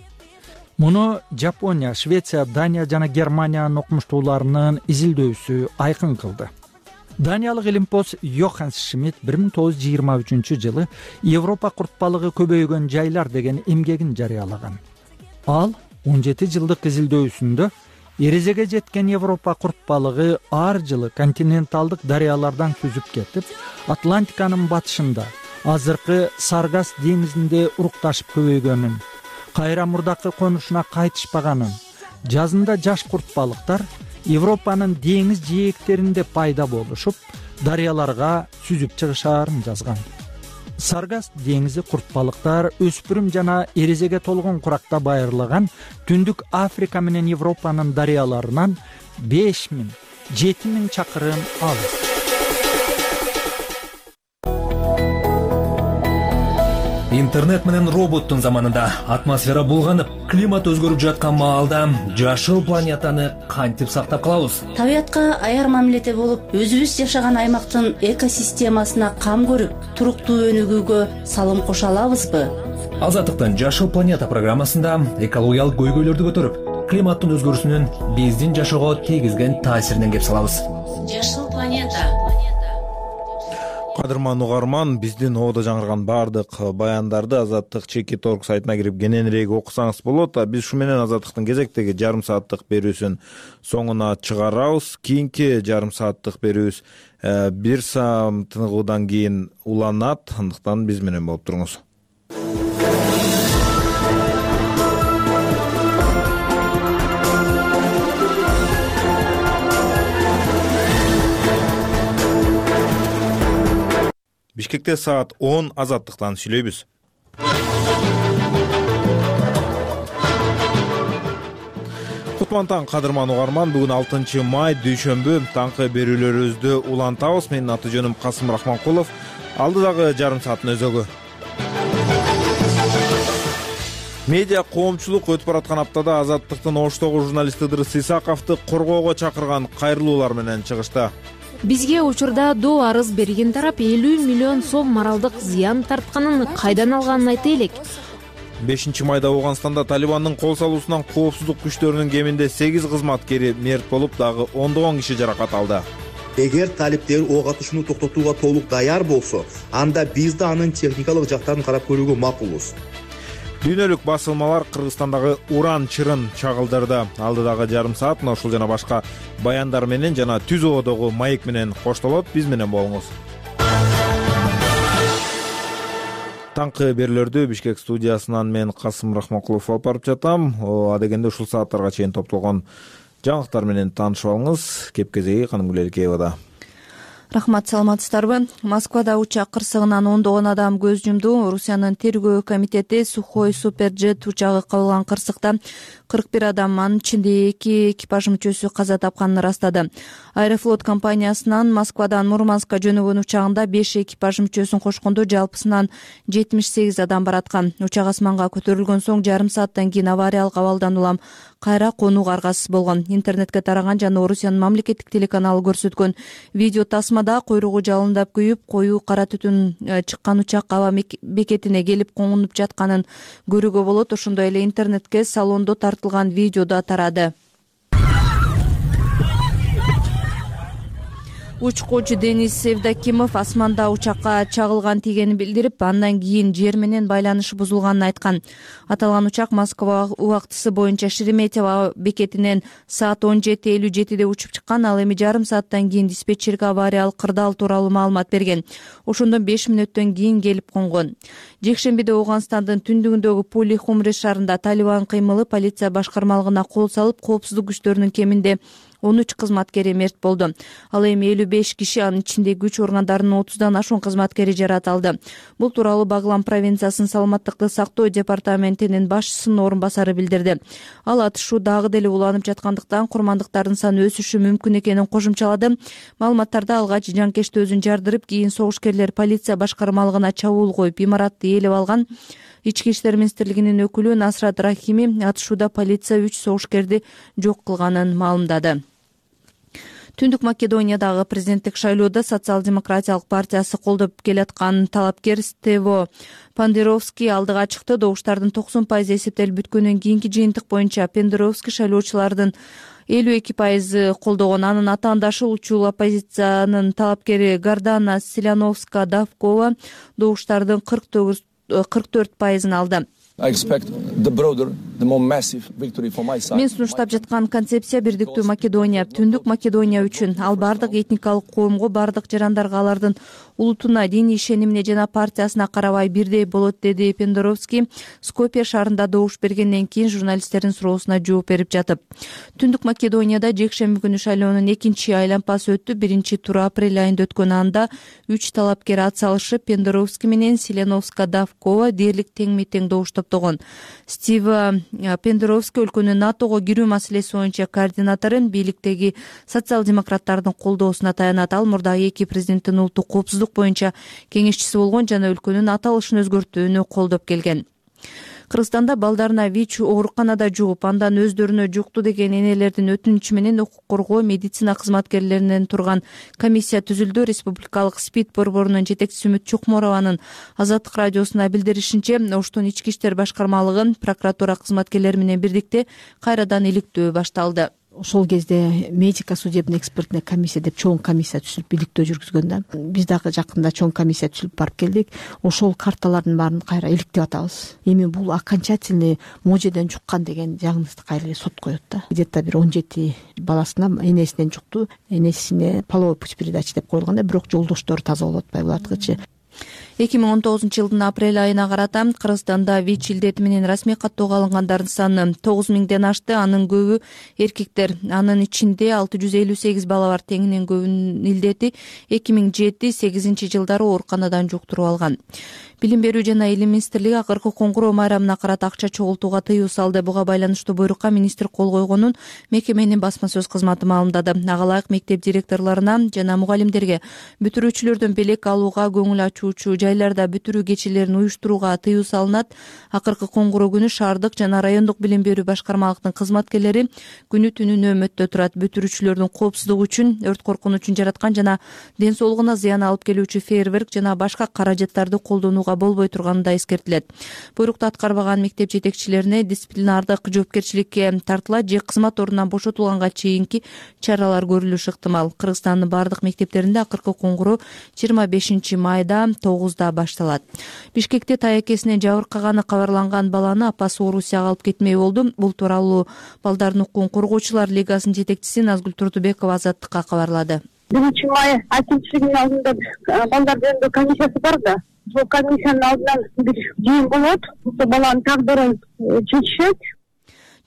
Муну Жапония, Швеция, Дания жана Германиянын окумуштууларынын изилдөөсү айкын кылды. Даниялык илимпоз Йоханс Шмидт бир миң тогуз жүз жыйырма үчүнчү жылы Европа курт балыгы көбөйгөн жайлар деген эмгегин жарыялаган. Ал он жети жылдык изилдөөсүндө эрезеге жеткен Европа курт балыгы ар жылы континенталдык дарыялардан сүзүп кетип, Атлантиканын батышында азыркы Саргас деңизинде урукташып көбөйгөнүн, кайра мурдакы конушуна кайтышпаганын, жазында жаш курт балыктар Европанын деңиз жээктеринде пайда болушуп, дарыяларга сүзүп чыгышаарын жазган. Саргас деңизи курт балыктар өспүрүм жана эрезеге толгон куракта байырлаган Түндүк Африка менен Европанын дарыяларынан беш миң жети миң чакырым алыс. Интернет менен роботтун заманында атмосфера булганып, климат өзгөрүп жаткан маалда жашыл планетаны кантип сактап калабыз? Табиятка аяр мамиледе болуп, өзүбүз жашаган аймактын экосистемасына кам көрүп, туруктуу өнүгүүгө салым кошо алабызбы? Азаттыктын Жашыл планета программасында экологиялык көйгөйлөрдү көтөрүп, климаттын өзгөрүүсүнүн биздин жашоого тийгизген таасиринен кеп салабыз. Жашыл планета. Кадырман угарман, биздин ободо жаңырган баардык баяндарды Азаттык чекит орг сайтына кирип кененирээк окусаңыз болот. Биз ушу менен Азаттыктын кезектеги жарым сааттык берүүсүн соңуна чыгарабыз. Кийинки жарым сааттык берүүбүз бир саам тыныгуудан кийин уланат. Андыктан биз менен болуп туруңуз. Бишкекте саат он Азаттыктан сүйлөйбүз. Кутман таң, Кадырман угарман. Бүгүн алтынчы май дүйшөмбү. Таңкы берүүлөрүбүздү улантабыз. Менин аты жөнүм Касым Рахманкулов. Алдыдагы жарым сааттын өзөгү. Медиа коомчулук өтүп бараткан аптада Азаттыктын Оштогу журналисти Ыдырыс Исаковду коргоого чакырган кайрылуулар менен чыгышты. Бизге учурда доо арыз берген тарап элүү миллион сом моралдык зыян тартканын кайдан алганын айта элек. бешинчи майда Ооганстанда Талибандын кол салуусунан коопсуздук күчтөрүнүн кеминде сегиз кызматкери мерт болуп, дагы ондогон киши жаракат алды. Эгер талиптер ок атышууну токтотууга толук даяр болсо, анда биз да анын техникалык жактарын карап көрүүгө макулбуз. Дүйнөлүк басылмалар Кыргызстандагы уран чырын чагылдырды. Алдыдагы жарым саат мына ушул жана башка баяндар менен жана түз ободогу маек менен коштолот. Биз менен болуңуз. Таңкы берүүлөрдү Бишкек студиясынан мен Касым Рахманкулов алып барып жатам. Адегенде ушул сааттарга чейин топтолгон жаңылыктар менен таанышып алыңыз. Кеп кезеги Канымгүл Элкеевада. Рахмат, саламатсыздарбы? Москвада учак кырсыгынан ондогон адам көз жумду. Орусиянын тергөө комитети Сухой Суперджет учагы кабылган кырсыкта кырк бир адам, анын ичинде эки экипаж мүчөсү каза тапканын ырастады. Аэрофлот компаниясынан Москвадан Мурманскка жөнөгөн учагында беш экипаж мүчөсүн кошкондо жалпысынан жетимиш сегиз адам бараткан. Учак асманга көтөрүлгөн соң жарым сааттан кийин авариялык абалдан улам кайра конууга аргасыз болгон. Интернетке тараган жана Орусиянын мамлекеттик телеканалы көрсөткөн видео тасмада койругу жалындап күйүп, коюу кара түтүн чыккан учак аба бекетине келип коңунуп жатканын көрүүгө болот. Ошондой эле интернетке салондо тартылган видео да тарады. Учкучу Денис Севдокимов асманда учакка чагылган тигенин билдирип, андан кийин жер менен байланышы бузулганын айткан. Аталган учак Москва убактысы боюнча Шереметьево бекетинен саат он жети элүү жетиде учуп чыккан. Ал эми жарым сааттан кийин диспетчерге авариялык кырдаал тууралуу маалымат берген. Ошондон беш мүнөттөн кийин келип конгон. Жекшембиде Ооганстандын түндүгүндөгү Пули Хумре шаарында Талибан кыймылы полиция башкармалыгына кол салып, коопсуздук күчтөрүнүн кеминде он үч кызматкери мерт болду. Ал эми элүү беш киши, анын ичинде күч органдарынын отуздан ашуун кызматкери жарат алды. Бул тууралуу Баглан провинциясынын саламаттыкты сактоо департаментинин башчысынын орун басары билдирди. Ал атышуу дагы деле уланып жаткандыктан курмандыктардын саны өсүшү мүмкүн экенин кошумчалады. Маалыматтарда алгач жанкечти өзүн жардырып, кийин согушкерлер полиция башкармалыгына чабуул коюп, имаратты ээлеп алган. Ички иштер министрлигинин өкүлү Насрат Рахими атышууда полиция үч согушкерди жок кылганын маалымдады. Түндүк Македониядагы президенттик шайлоодо Социал-демократиялык партиясы колдоп келаткан талапкер Стево Пандеровский алдыга чыкты. Добуштардын токсон пайызы эсептелип бүткөндөн кийинки жыйынтык боюнча Пандеровский шайлоочулардын элүү эки пайызы колдогон. Анын атаандашы улчул оппозициянын талапкери Гардана Селяновска Давкова добуштардын кырк төрт пайызын алды. Мен сунуштап жаткан концепция бирдиктүү Македония, Түндүк Македония үчүн. Ал бардык этникалык коомго, бардык жарандарга, алардын улутуна, диний ишенимине жана партиясына карабай бирдей болот, деди Пендоровский Скопье шаарында добуш бергенден кийин журналисттердин суроосуна жооп берип жатып. Түндүк Македонияда жекшемби күнү шайлоонун экинчи айланпасы өттү. Биринчи туру апрель айында өткөн. Анда үч талапкер ат салышып, Пендоровский менен Селяновска Давкова дээрлик тең тең добуш топтогон. Стив Пендоровский өлкөнүн НАТОго кирүү маселеси боюнча координатору, бийликтеги социал-демократтардын колдоосуна таянат. Ал мурдагы эки президенттин улуттук коопсуздук боюнча кеңешчиси болгон жана өлкөнүн аталышын өзгөртүүнү колдоп келген. Кыргызстанда балдарына ВИЧ ооруканада жугуп, андан өздөрүнө жукту деген энелердин өтүнүчү менен укук коргоо медицина кызматкерлеринен турган комиссия түзүлдү. Республикалык СПИД борборунун жетекчиси Үмүт Чукморованын Азаттык радиосуна билдиришинче, Оштун ички иштер башкармалыгын прокуратура кызматкерлери менен бирдикте кайрадан иликтөө башталды. ошол кезде медико судебный экспертная комиссия деп чоң комиссия түзүлүп иликтөө жүргүзгөн да. Биз дагы жакында чоң комиссия түзүлүп барып келдик. Ошол карталардын баарын кайра иликтеп атабыз. Эми бул окончательный можеден жуккан деген диагнозду кайра сот коет да. Где-то бир он жети баласына энесинен жукту, энесине половой путь передачи деп коюлган да, бирок жолдоштору таза болуп атпайбы булардыкычы. эки миң он тогузунчу жылдын апрель айына карата Кыргызстанда ВИЧ илдети менен расмий каттоого алынгандардын саны тогуз миңден ашты. Анын көбү эркектер. Анын ичинде алты жүз элүү сегиз бала бар. Теңинен көбүнүн илдети эки миң жети сегизинчи жылдары ооруканадан жуктуруп алган. Билим берүү жана илим министрлиги акыркы коңгуроо майрамына карата акча чогултууга тыюу салды. Буга байланыштуу буйрукка министр кол койгонун мекеменин басма сөз кызматы маалымдады. Ага ылайык мектеп директорлоруна жана мугалимдерге бүтүрүүчүлөрдөн белек алууга, көңүл ачуучу жайларда бүтүрүү кечелерин уюштурууга тыюу салынат. Акыркы коңгуроо күнү шаардык жана райондук билим берүү башкармалыктын кызматкерлери күнү түнү нөөмөттө турат. Бүтүрүүчүлөрдүн коопсуздугу үчүн, өрт коркунучун жараткан жана ден соолугуна зыян алып келүүчү фейерверк жана башка каражаттарды колдонууга болбой турганы да эскертилет. Буйрукту аткарбаган мектеп жетекчилерине дисциплинардык жоопкерчиликке тартылат же кызмат ордунан бошотулганга чейинки чаралар көрүлүшү ыктымал. Кыргызстандын бардык мектептеринде акыркы коңгуроо жыйырма бешинчи майда тогузда башталат. Бишкекте таякесине жабыркаганы кабарланган баланы апасы Орусияга алып кетмей болду. Бул тууралуу Балдардын укугун коргоочулар лигасынын жетекчиси Назгүл Турдубекова Азаттыкка кабарлады. биринчи май ачылышынын алдында балдар жөнүндө комиссиясы бар да. Бул комиссиянын алдынан бир жыйын болот. Ошо баланын тагдырын чечишет.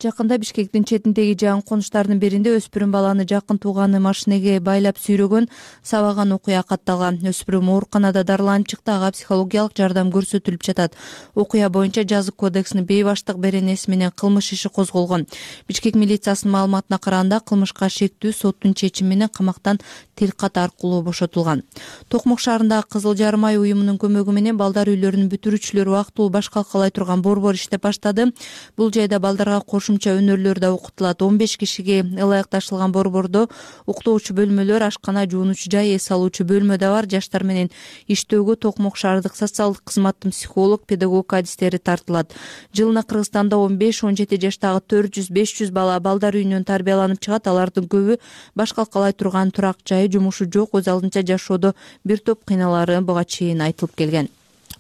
Жакында Бишкектин четиндеги жакын конуштардын биринде өспүрүм баланы жакын тууганы машинеге байлап сүйрөгөн, сабаган окуя катталган. Өспүрүм ооруканада дарыланып чыкты, ага психологиялык жардам көрсөтүлүп жатат. Окуя боюнча жазык кодексинин бейбаштык беренеси менен кылмыш иши козголгон. Бишкек милициясынын маалыматына караганда кылмышка шектүү соттун чечими менен камактан тилкат аркылуу бошотулган. Токмок шаарындагы Кызыл Жарым ай уюмунун көмөгү менен балдар үйлөрүнүн бүтүрүүчүлөрү убактылуу баш калкалай турган борбор иштеп баштады. Бул жайда балдарга кошумча өнөрлөр да окутулат. он беш кишиге ылайыкташылган борбордо уктоочу бөлмөлөр, ашкана, жуунуучу жай, эс алуучу бөлмө да бар. Жаштар менен иштөөгө Токмок шаардык социалдык кызматтын психолог, педагог адистери тартылат. Жылына Кыргызстанда он беш он жети жаштагы төрт жүз беш жүз бала балдар үйүнөн тарбияланып чыгат. Алардын көбү баш калкалай турган турак жайы, жумушу жок, өз алдынча жашоодо бир топ кыйналары буга чейин айтылып келген.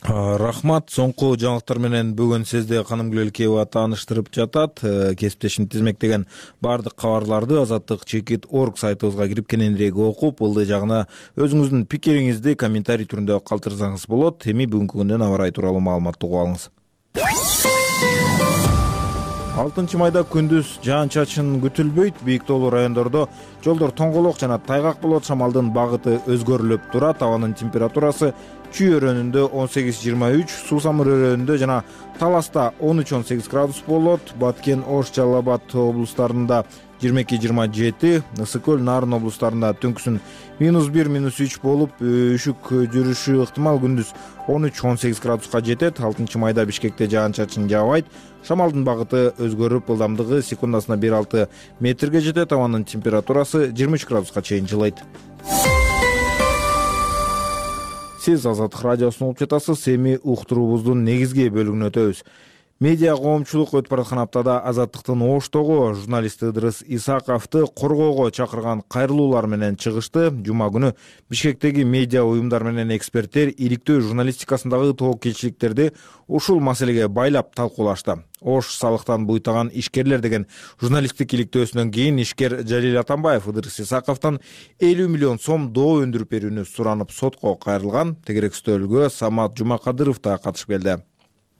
Рахмат. Соңку жаңылыктар менен бүгүн сизди Каным Гүлөлкеева тааныштырып жатат. Кесиптешим тизмектеген бардык кабарларды Азаттык чекит орг сайтыбызга кирип кененирээк окуп, ылдый жагына өзүңүздүн пикириңизди комментарий түрүндө калтырсаңыз болот. Эми бүгүнкү күндөн аба ырайы тууралуу маалыматты угуп алыңыз. алтынчы майда күндүз жаан-чачын күтүлбөйт. Бийик тоолуу райондордо жолдор тоңголок жана тайгак болот. Шамалдын багыты өзгөрүлүп турат. Абанын температурасы Чүй өрөөнүндө он сегиз жыйырма үч, Суусамыр өрөөнүндө жана Таласта он үч он сегиз градус болот. Баткен, Ош, Жалал Абад облустарында жыйырма эки жыйырма жети, Ысык көл, Нарын облустарында түнкүсүн минус бир минус үч болуп, үшүк жүрүшү ыктымал. Күндүз он үч он сегиз градуска жетет. алтынчы майда Бишкекте жаан-чачын жаабайт. Шамалдын багыты өзгөрүп, ылдамдыгы секундасына бир алты метрге жетет. Абанын температурасы жыйырма үч градуска чейин жылыйт. Сиз Азаттык радиосун угуп жатасыз. Эми уктуруубуздун негизги бөлүгүнө өтөбүз. Медиа коомчулук өтүп бараткан аптада Азаттыктын Оштогу журналист Ыдырыс Исаковду коргоого чакырган кайрылуулар менен чыгышты. Жума күнү Бишкектеги медиа уюмдар менен эксперттер иликтөө журналистикасындагы тобокелчиликтерди ушул маселеге байлап талкуулашты. Ош салыктан буйтаган ишкерлер деген журналисттик иликтөөсүнөн кийин ишкер Жалил Атамбаев Ыдырыс Исаковдон элүү миллион сом доо өндүрүп берүүнү суранып сотко кайрылган. Тегерек стөлгө Самат Жумакадыров да катышып келди.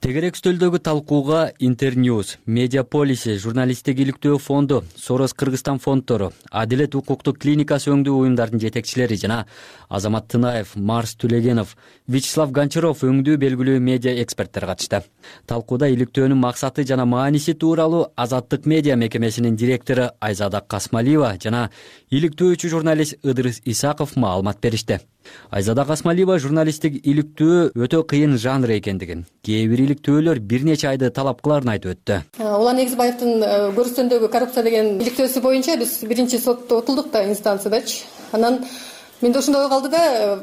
Тегерек стөлдөгү талкууга Интерньюз, Медиаполиси, журналисттик иликтөө фонду, Сорос Кыргызстан фонддору, Адилет укуктук клиникасы өңдүү уюмдардын жетекчилери жана Азамат Тынаев, Марс Түлегенов, Вячеслав Гончаров өңдүү белгилүү медиа эксперттер катышты. Талкууда иликтөөнүн максаты жана мааниси тууралуу Азаттык медиа мекемесинин директору Айзада Касмалиева жана иликтөөчү журналист Ыдырыс Исаков маалымат беришти. Айзада Касмалиева журналисттик иликтөө өтө кыйын жанр экендигин, кээ бир иликтөөлөр бир нече айды талап кыларын айтып өттү. Улан Эгизбаевдин көрүстөндөгү коррупция деген иликтөөсү боюнча биз биринчи сотто отулдук да, инстанциядачы. Анан менде ошондой ой калды да,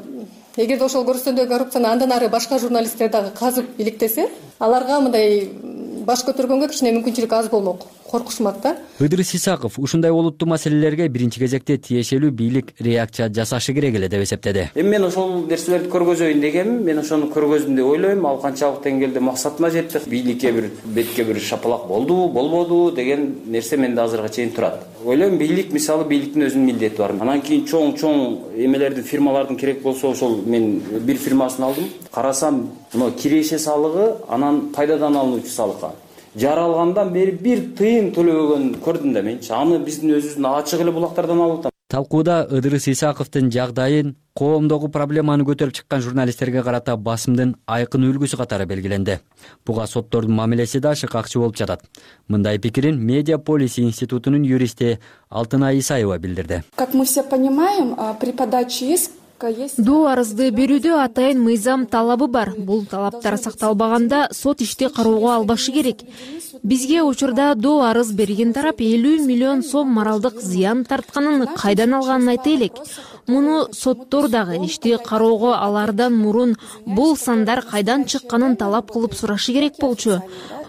эгерде ошол көрүстөндөгү коррупцияны андан ары башка журналисттер дагы казып иликтесе, аларга мындай баш көтөргөнгө кичине мүмкүнчүлүк аз болмок. коркушмак да. Ыдырыс Исаков ушундай олуттуу маселелерге биринчи кезекте тиешелүү бийлик реакция жасашы керек эле деп эсептеди. Эми мен ошол нерселерди көргөзөйүн дегенмин. Мен ошону көргөздүм деп ойлойм. Ал канчалык деңгээлде максатыма жетти. Бийликке бир бетке бир шапалак болдубу, болбодубу деген нерсе менде азыркыга чейин турат. Ойлойм, бийлик мисалы бийликтин өзүнүн милдети бар. Анан кийин чоң-чоң эмелердин, фирмалардын керек болсо ошол мен бир фирмасын алдым. Карасам, мына киреше салыгы, анан пайдадан алынуучу салыкка жаралгандан бери бир тыйын төлөбөгөн көрдүм да менчи. Аны биздин өзүбүздүн ачык эле булактардан алып атам. Талкууда Ыдырыс Исаковдун жагдайын, коомдогу проблеманы көтөрүп чыккан журналисттерге карата басымдын айкын үлгүсү катары белгиленди. Буга соттордун мамилеси да шыкакчы болуп жатат. Мындай пикирин Медиаполис институтунун юристи Алтынай Исаева билдирди. Как мы все понимаем, при подаче иск Доо арызды берүүдө атайын мыйзам талабы бар. Бул талаптар сакталбаганда сот ишти кароого албашы керек. Бизге учурда доо арыз берген тарап элүү миллион сом моралдык зыян тартканын кайдан алганын айта элек. Муну соттор дагы ишти кароого алардан мурун бул сандар кайдан чыкканын талап кылып сурашы керек болчу.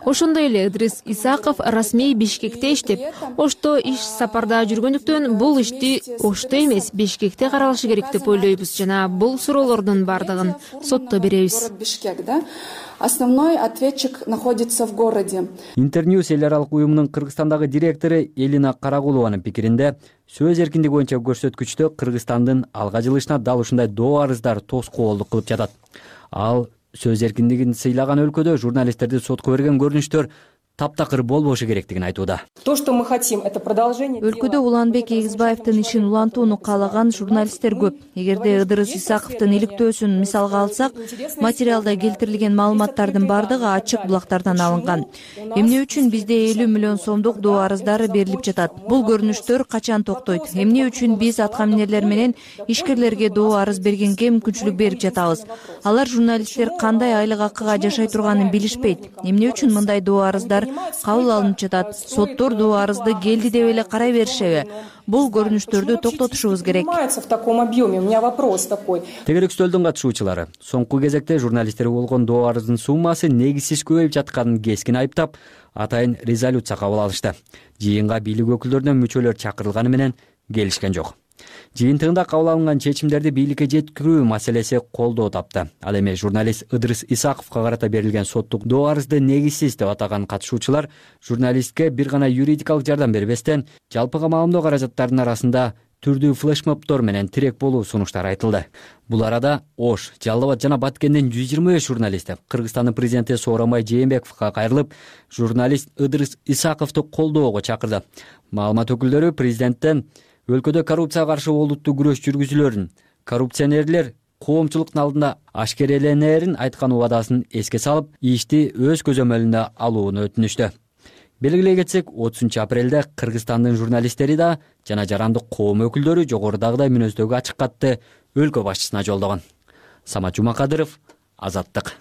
Ошондой эле Ыдырыс Исаков расмий Бишкекте иштеп, Ошто иш сапарда жүргөндүктөн бул ишти Ошто эмес Бишкекте каралышы керек деп ойлойбуз жана бул суроолордун бардыгын сотто беребиз. Основной ответчик находится в городе. Интерньюс эл аралык уюмунун Кыргызстандагы директору Элина Карагулованын пикиринде, сөз эркиндиги боюнча көрсөткүчтө Кыргызстандын алга жылышына дал ушундай доо арыздар тоскоолдук кылып жатат. Ал сөз эркиндигин сыйлаган өлкөдө журналисттерди сотко берген көрүнүштөр таптакыр болбошу керектигин айтууда. То, что мы хотим, это продолжение. Өлкөдө Уланбек Эгизбаевдин ишин улантууну каалаган журналисттер көп. Эгерде Ыдырыс Исаковдун иликтөөсүн мисалга алсак, материалда келтирилген маалыматтардын бардыгы ачык булактардан алынган. Эмне үчүн бизде элүү миллион сомдук доо арыздары берилип жатат? Бул көрүнүштөр качан токтойт? Эмне үчүн биз аткаминерлер менен ишкерлерге доо арыз бергенге мүмкүнчүлүк берип жатабыз? Алар журналисттер кандай айлык акыга жашай турганын билишпейт. Эмне үчүн мындай доо арыздар кабыл алынып жатат? Соттор доо арызды келди деп эле карай беришеби? Бул көрүнүштөрдү токтотушубуз керек. В таком объеме. У меня вопрос такой. Тегерекстөлдүн катышуучулары соңку кезекте журналисттерге болгон доо арыздын суммасы негизсиз көбөйүп жатканын кескин айыптап, атайын резолюция кабыл алышты. Жыйынга бийлик өкүлдөрүнөн мүчөлөр чакырылганы менен келишкен жок. Жыйынтыгында кабыл алынган чечимдерди бийликке жеткирүү маселеси колдоо тапты. Ал эми журналист Ыдырыс Исаковго карата берилген соттук доо арызды негизсиз деп атаган катышуучулар журналистке бир гана юридикалык жардам бербестен, жалпыга маалымдоо каражаттарынын арасында түрдүү флешмобдор менен тирек болуу сунуштары айтылды. Бул арада Ош, Жалал Абад жана Баткендин жүз жыйырма беш журналисти Кыргызстандын президенти Сооронбай Жээнбековго кайрылып, журналист Ыдырыс Исаковду колдоого чакырды. Маалымат өкүлдөрү президенттен өлкөдө коррупцияга каршы олуттуу күрөш жүргүзүлөрүн, коррупционерлер коомчулуктун алдында ашкереленерин айткан убадасын эске салып, ишти өз көзөмөлүнө алууну өтүнүштү. Белгилей кетсек, отузунчу апрелде Кыргызстандын журналисттери да жана жарандык коом өкүлдөрү жогорудагыдай мүнөздөгү ачык катты өлкө башчысына жолдогон. Самат Жумакадыров, Азаттык.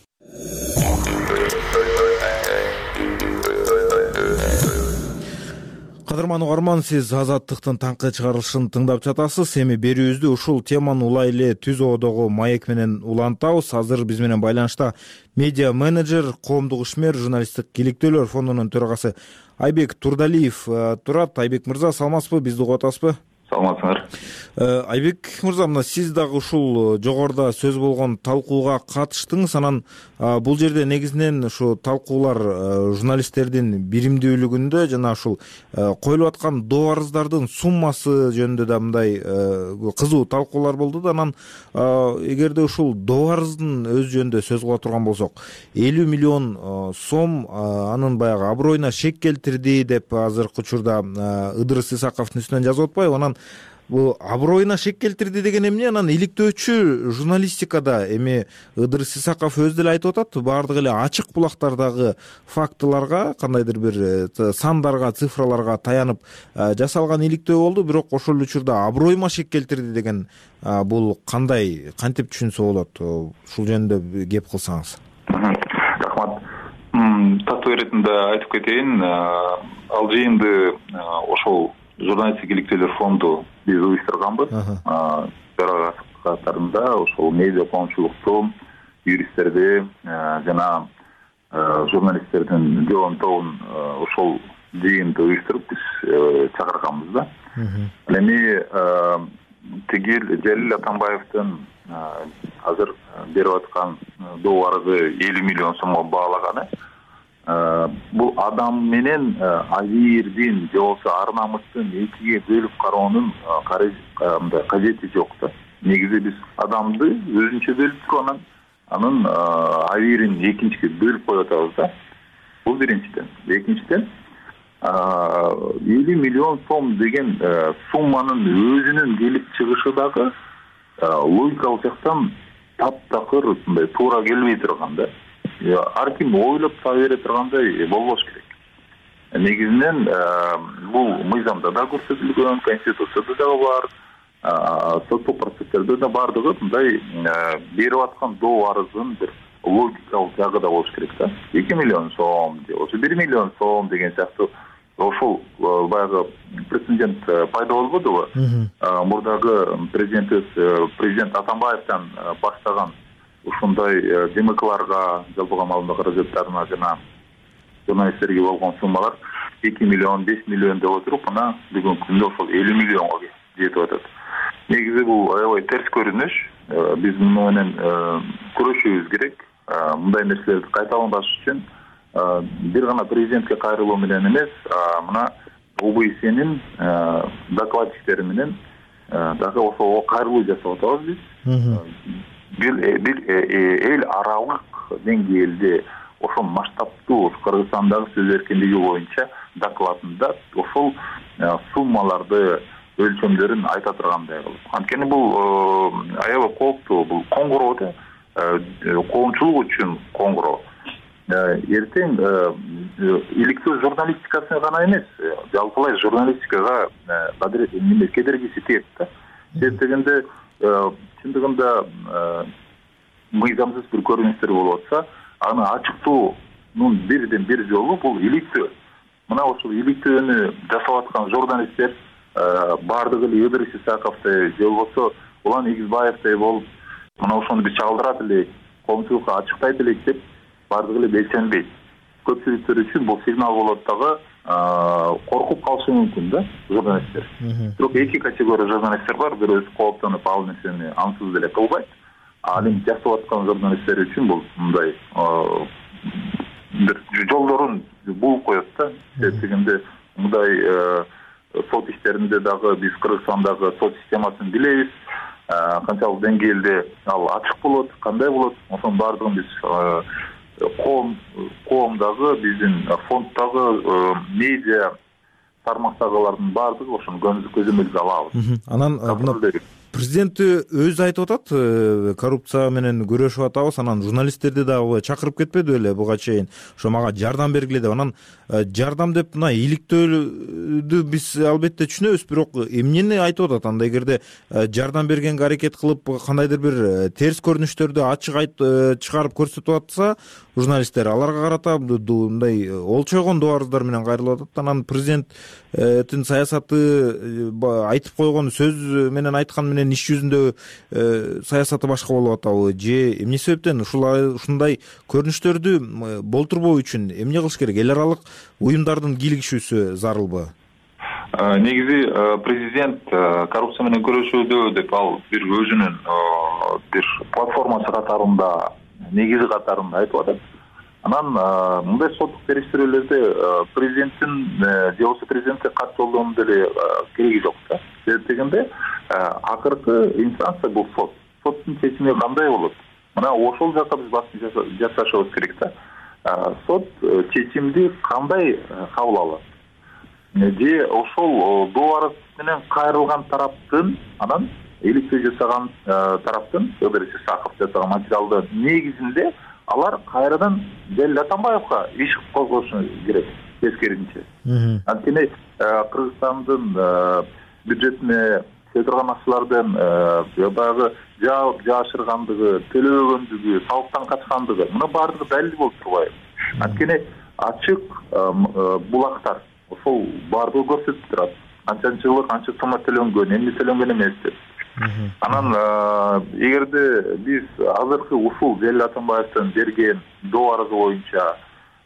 Кадырман угарман, сиз Азаттыктын таңкы чыгарылышын тыңдап жатасыз. Эми берүүбүздү ушул теманы улай эле түз оодогу маек менен улантабыз. Азыр биз менен байланышта медиа менеджер, коомдук ишмер, журналисттик иликтөөлөр фондунун төрагасы Айбек Турдалиев турат. Айбек мырза, саламатсызбы? Бизди угуп атасызбы? Саламатсыңар. Айбек мырза, мына сиз дагы ушул жогоруда сөз болгон талкууга катыштыңыз. Анан бул жерде негизинен ушу талкуулар журналисттердин биримдүүлүгүндө жана ушул коюлуп аткан доо арыздардын суммасы жөнүндө да мындай кызуу талкуулар болду да. Анан эгерде ушул доо арыздын өзү жөнүндө сөз кыла турган болсок, элүү миллион сом анын баягы аброюна шек келтирди деп азыркы учурда Ыдырыс Исаковдун үстүнөн жазып атпайбы? Анан бул аброюна шек келтирди деген эмне? Анан иликтөөчү журналистикада эми Ыдырыс Исаков өзү деле айтып атат, баардык эле ачык булактардагы фактыларга, кандайдыр бир сандарга, цифраларга таянып жасалган иликтөө болду, бирок ошол учурда аброюма шек келтирди деген бул кандай, кантип түшүнсө болот? Ушул жөнүндө кеп кылсаңыз. Рахмат. Тактоо иретинде айтып кетейин, ал жыйынды ошол журналисттик иликтөөлөр фонду биз уюштурганбыз. Төрага катарында ошол медиа коомчулукту, юристтерди жана журналисттердин жоон тобун ошол жыйынды уюштуруп биз чакырганбыз да. Эми тигил Жалил Атамбаевдин азыр берип аткан доо арызы элүү миллион сомго баалаганы бул адам менен Азирдин же болбосо ар намыстын экиге бөлүп кароонун кажети жок да. Негизи биз адамды өзүнчө бөлүп туруп анан анын Азирин экинчиге бөлүп коюп атабыз да. Бул биринчиден. Экинчиден элүү миллион сом деген сумманын өзүнүн келип чыгышы дагы логикалык жактан таптакыр мындай туура келбей турган да. Ар ким ойлоп таба бере тургандай болбош керек. Негизинен бул мыйзамда да көрсөтүлгөн, конституцияда дагы бар, соттук процесстерде да бардыгы мындай берип аткан доо арыздын бир логикалык жагы да болуш керек да. эки миллион сом же болбосо бир миллион сом деген сыяктуу ошол баягы прецедент пайда болбодубу? Мурдагы президентибиз президент Атамбаевден баштаган ушундай ДМКларга жалпыга маалымат каражаттарына жана журналисттерге болгон суммалар эки миллион, беш миллион деп отуруп, анан бүгүнкү күндө ошол элүү миллионго жетип атат. Негизи бул аябай терс көрүнүш. Биз муну менен күрөшүбүз керек. Мындай нерселерди кайталанбаш үчүн бир гана президентке кайрылуу менен эмес, мына ОБСнин докладчиктери менен дагы ошого кайрылуу жасап атабыз биз. Бир бир эл аралык деңгээлде ошол масштабтуу Кыргызстандагы сөз эркиндиги боюнча докладында ошол суммаларды өлчөмдөрүн айта тургандай кылып. Анткени бул аябай кооптуу, бул коңгуроо да, коомчулук үчүн коңгуроо. Эртең иликтөө журналистикасына гана эмес, жалпылай журналистикага кедергиси тиет да. Себеп дегенде чындыгында мыйзамсыз бир көрүнүштөр болуп атса, аны ачыктоонун бирден бир жолу бул иликтөө. Мына ошол иликтөөнү жасап аткан журналисттер бардыгы эле Ыдырыс Исаковдой же болбосо Улан Игизбаевдей болуп, мына ошону биз чагылдырат элек, коомчулукка ачыктайт элек деп бардыгы эле белсенбейт. Көпчүлүктөр үчүн бул сигнал болот дагы, коркуп калышы мүмкүн да журналисттер. Бирок эки категория журналисттер бар, бирөөсү кооптонуп ал нерсени ансыз деле кылбайт. Ал эми жасап аткан журналисттер үчүн бул мындай бир жолдорун бууп коет да. Себеп дегенде мындай сот иштеринде дагы биз Кыргызстандагы сот системасын билебиз. Канчалык деңгээлде ал ачык болот, кандай болот, ошонун баардыгын биз коом коомдагы биздин фонддагы медиа тармактагылардын баардыгы ошону көзөмөлгө алабыз. Анан президент өзү айтып атат, коррупция менен күрөшүп атабыз, анан журналисттерди дагы чакырып кетпеди беле буга чейин, ошо мага жардам бергиле деп. Анан жардам деп мына иликтөөлдү биз албетте түшүнөбүз, бирок эмнени айтып атат? Анда эгерде жардам бергенге аракет кылып кандайдыр бир терс көрүнүштөрдү ачык чыгарып көрсөтүп атса, журналисттер аларга карата мындай олчойгон доо арыздар менен кайрылып атат. Анан президенттин саясаты айтып койгон сөз менен айткан менен иш жүзүндө саясаты башка болуп атабы же эмне себептен ушундай көрүнүштөрдү болтурбоо үчүн эмне кылыш керек? Эл аралык уюмдардын кийлигишүүсү зарылбы? Негизи президент коррупция менен күрөшүүдө деп ал бир өзүнүн бир платформасы катарында, негизи катарында айтып атат. Анан мындай соттук териштирүүлөрдө президенттин же болбосо президентке кат жолдоонун деле кереги жок да. Себеп дегенде акыркы инстанция бул сот. Соттун чечими кандай болот? Мына ошол жакка биз басым жасашыбыз керек да. Сот чечимди кандай кабыл алат? Же ошол доо арыз менен кайрылган тараптын, анан иликтөө жасаган тараптын, Ыдырыс Исаков жасаган материалдын негизинде алар кайрадан Жалил Атамбаевга иш козгошу керек, тескерисинче. Анткени Кыргызстандын бюджетине төлөйдөргөн акчалардын баягы жаап жаашыргандыгы, төлөбөгөндүгү, салыктан качкандыгы, муну баардыгы далил болуп турбайбы? Анткени ачык булактар ошол баардыгы көрсөтүп турат. Канчанчы жылы канча соммо төлөнгөн, эмне төлөнгөн эмес деп. Анан эгерде биз азыркы ушул Жалил Атамбаевдин берген доо арызы боюнча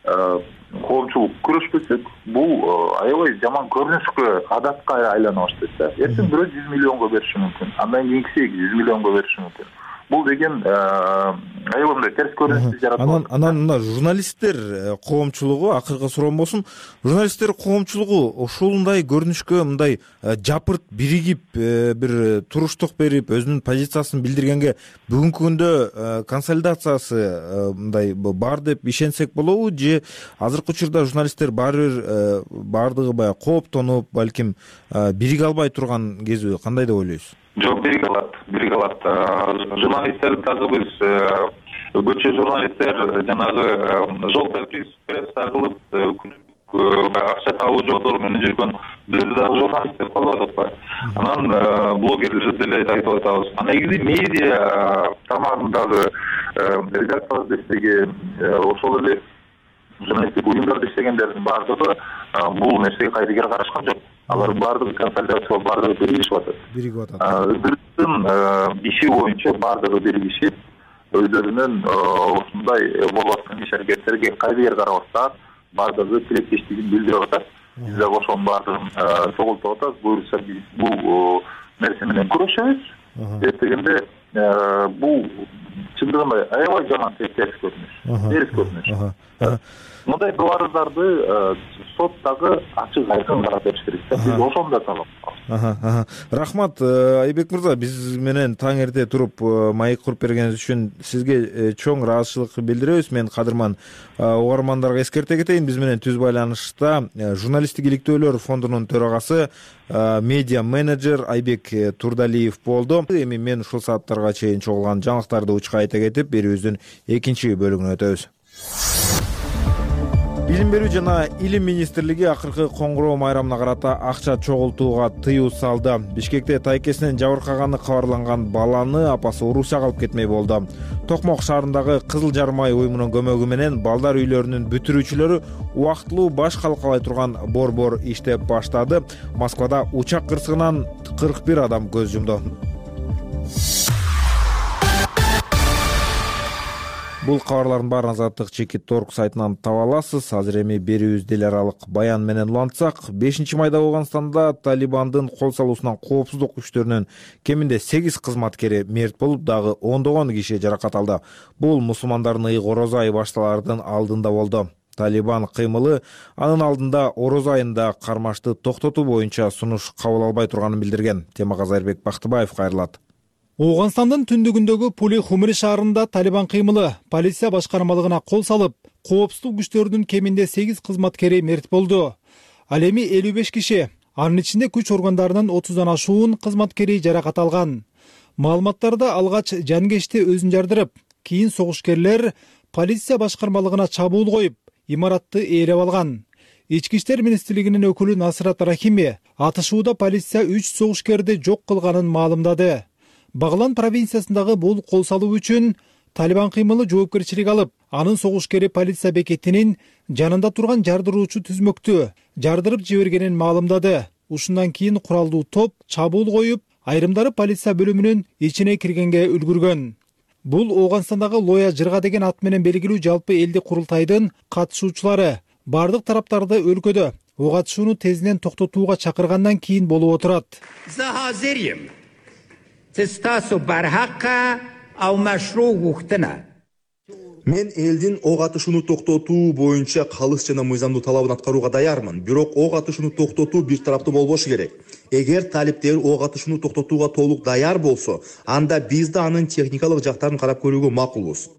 коомчулук күрөшпөсөк, бул аябай жаман көрүнүшкө, адатка айлана баштайт да. Эртең бирөө жүз миллионго бериши мүмкүн, андан кийинкиси жүз миллионго бериши мүмкүн. Бул деген аябай мындай терс көрүнүштү жаратат. Анан анан мына журналисттер коомчулугу, акыркы суроом болсун, журналисттер коомчулугу ушундай көрүнүшкө мындай жапырт биригип бир туруштук берип, өзүнүн позициясын билдиргенге бүгүнкү күндө консолидациясы мындай бар деп ишенсек болобу, же азыркы учурда журналисттер баары бир баардыгы баягы кооптонуп, балким бириге албай турган кезби, кандай деп ойлойсуз? Жок, бириге алат, бириге алат. Журналисттер дагы биз көчө журналисттер жанагы желтый пресса кылып акча табуу жолдору менен жүргөн биз дагы журналист деп калып атпайбы? Анан блогерлер деле айтып атабыз. Негизи медиа тармагындагы редакторлор иштеген, ошол эле журналисттик уюмдарда иштегендердин баардыгы бул нерсеге кайдыгер карашкан жок. Алар баардыгы консолидация, баардыгы биригишип атат. Биригип атат. Өздөрүнүн иши боюнча баардыгы биригишип, өздөрүнүн ушундай болуп аткан иш аракеттерге кайдыгер карабастан баардыгы тилектештигин билдирип атат. Биз дагы ошонун баардыгын чогултуп атабыз. Буюрса биз бул нерсе менен күрөшөбүз. Эртегенде бул чындыгында аябай жаман терс көрүнүш. Терс көрүнүш. Мындай арыздарды сот дагы ачык айкын карап бериш керек. Биз ошону да талап кылабыз. Рахмат, Айбек мырза, биз менен таң эрте туруп маек куруп бергениңиз үчүн сизге чоң ыраазычылык билдиребиз. Мен кадырман угармандарга эскерте кетейин, биз менен түз байланышта журналисттик иликтөөлөр фондунун төрагасы, медиа менеджер Айбек Турдалиев болду. Эми мен ушул сааттарга чейин чогулган жаңылыктарды учка айта кетип, берүүбүздүн экинчи бөлүгүнө өтөбүз. Билим берүү жана илим министрлиги акыркы коңгуроо майрамына карата акча чогултууга тыюу салды. Бишкекте тайкесинен жабыркаганы кабарланган баланы апасы Орусияга алып кетмей болду. Токмок шаарындагы Кызыл Жармай уюмунун көмөгү менен балдар үйлөрүнүн бүтүрүүчүлөрү убактылуу баш калкалай турган борбор иштеп баштады. Москвада учак кырсыгынан кырк бир адам көз жумду. Бул кабарлардын баарын Азаттык чекит точка орг сайтынан таба аласыз. Азыр эми берүүбүздү эл аралык баян менен улантсак, бешинчи майда Ооганстанда Талибандын кол салуусунан коопсуздук күчтөрүнүн кеминде сегиз кызматкери мерт болуп, дагы ондогон киши жаракат алды. Бул мусулмандардын ыйык орозо айы башталаардын алдында болду. Талибан кыймылы анын алдында орозо айында кармашты токтотуу боюнча сунуш кабыл албай турганын билдирген. Темага Зайырбек Бактыбаев кайрылат. Ооганстандын түндүгүндөгү Пули Хумри шаарында Талибан кыймылы полиция башкармалыгына кол салып, коопсуздук күчтөрүнүн кеминде сегиз кызматкери мерт болду. Ал эми элүү беш киши, анын ичинде күч органдарынын отуздан ашуун кызматкери жаракат алган. Маалыматтарда алгач жангечти өзүн жардырып, кийин согушкерлер полиция башкармалыгына чабуул коюп, имаратты ээлеп алган. Ички иштер министрлигинин өкүлү Насрат Рахими атышууда полиция үч согушкерди жок кылганын маалымдады. Баглан провинциясындагы бул кол салуу үчүн Талибан кыймылы жоопкерчилик алып, анын согушкери полиция бекетинин жанында турган жардыруучу түзмөктү жардырып жибергенин маалымдады. Ушундан кийин куралдуу топ чабуул коюп, айрымдары полиция бөлүмүнүн ичине киргенге үлгүргөн. Бул Ооганстандагы Лоя Жырга деген ат менен белгилүү жалпы элдик курултайдын катышуучулары бардык тараптарды өлкөдө ок атышууну тезинен токтотууга чакыргандан кийин болуп отурат. Мен элдин ок атышууну токтотуу боюнча калыс жана мыйзамдуу талабын аткарууга даярмын. Бирок ок атышууну токтотуу бир тараптуу болбошу керек. Эгер талиптер ок атышууну токтотууга толук даяр болсо, анда биз да анын техникалык жактарын карап көрүүгө макулбуз.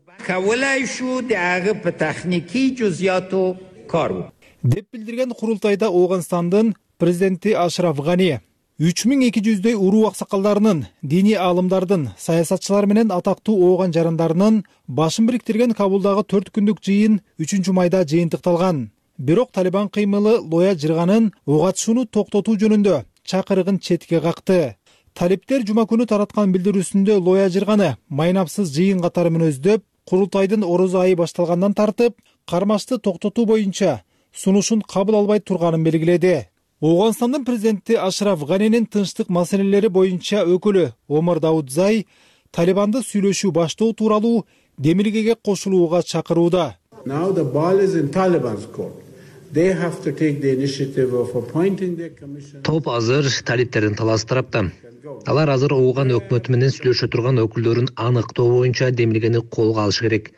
Деп билдирген курултайда Ооганстандын президенти Ашраф Гани үч миң эки жүздөй уруу аксакалдарынын, диний аалымдардын, саясатчылар менен атактуу ооган жарандарынын башын бириктирген Кабулдагы төрт күндүк жыйын үчүнчү майда жыйынтыкталган. Бирок Талибан кыймылы Лоя Жырганын ок атышууну токтотуу жөнүндө чакырыгын четке какты. Талиптер жума күнү тараткан билдирүүсүндө Лоя Жырганы майнапсыз жыйын катары мүнөздөп, курултайдын орозо айы башталгандан тартып, кармашты токтотуу боюнча сунушун кабыл албай турганын белгиледи. Ооганстандын президенти Ашраф Ганинин тынчтык маселелери боюнча өкүлү Омар Даудзай Талибанды сүйлөшүү баштоо тууралуу демилгеге кошулууга чакырууда. Now the ball is in Taliban's court. They have to take the initiative of appointing their commission. Топ азыр талиптердин талаасы тарапта. Алар азыр Ооган өкмөтү менен сүйлөшө турган өкүлдөрүн аныктоо боюнча демилгени колго алышы керек.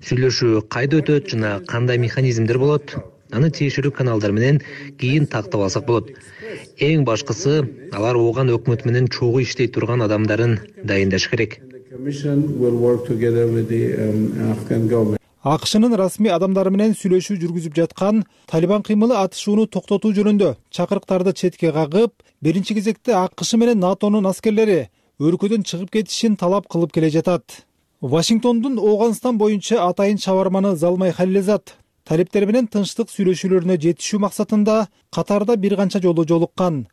Сүйлөшүү кайда өтөт жана кандай механизмдер болот? Аны тиешелүү каналдар менен кийин тактап алсак болот. Эң башкысы, алар Ооган өкмөтү менен чогуу иштей турган адамдарын дайындаш керек. АКШнын расмий адамдары менен сүйлөшүү жүргүзүп жаткан Талибан кыймылы атышууну токтотуу жөнүндө чакырыктарды четке кагып, биринчи кезекте АКШ менен НАТОнун аскерлери өлкөдөн чыгып кетишин талап кылып келе жатат. Вашингтондун Ооганстан боюнча атайын чабарманы Залмай Халилезад талиптер менен тынчтык сүйлөшүүлөрүнө жетишүү максатында Катарда бир канча жолу жолуккан.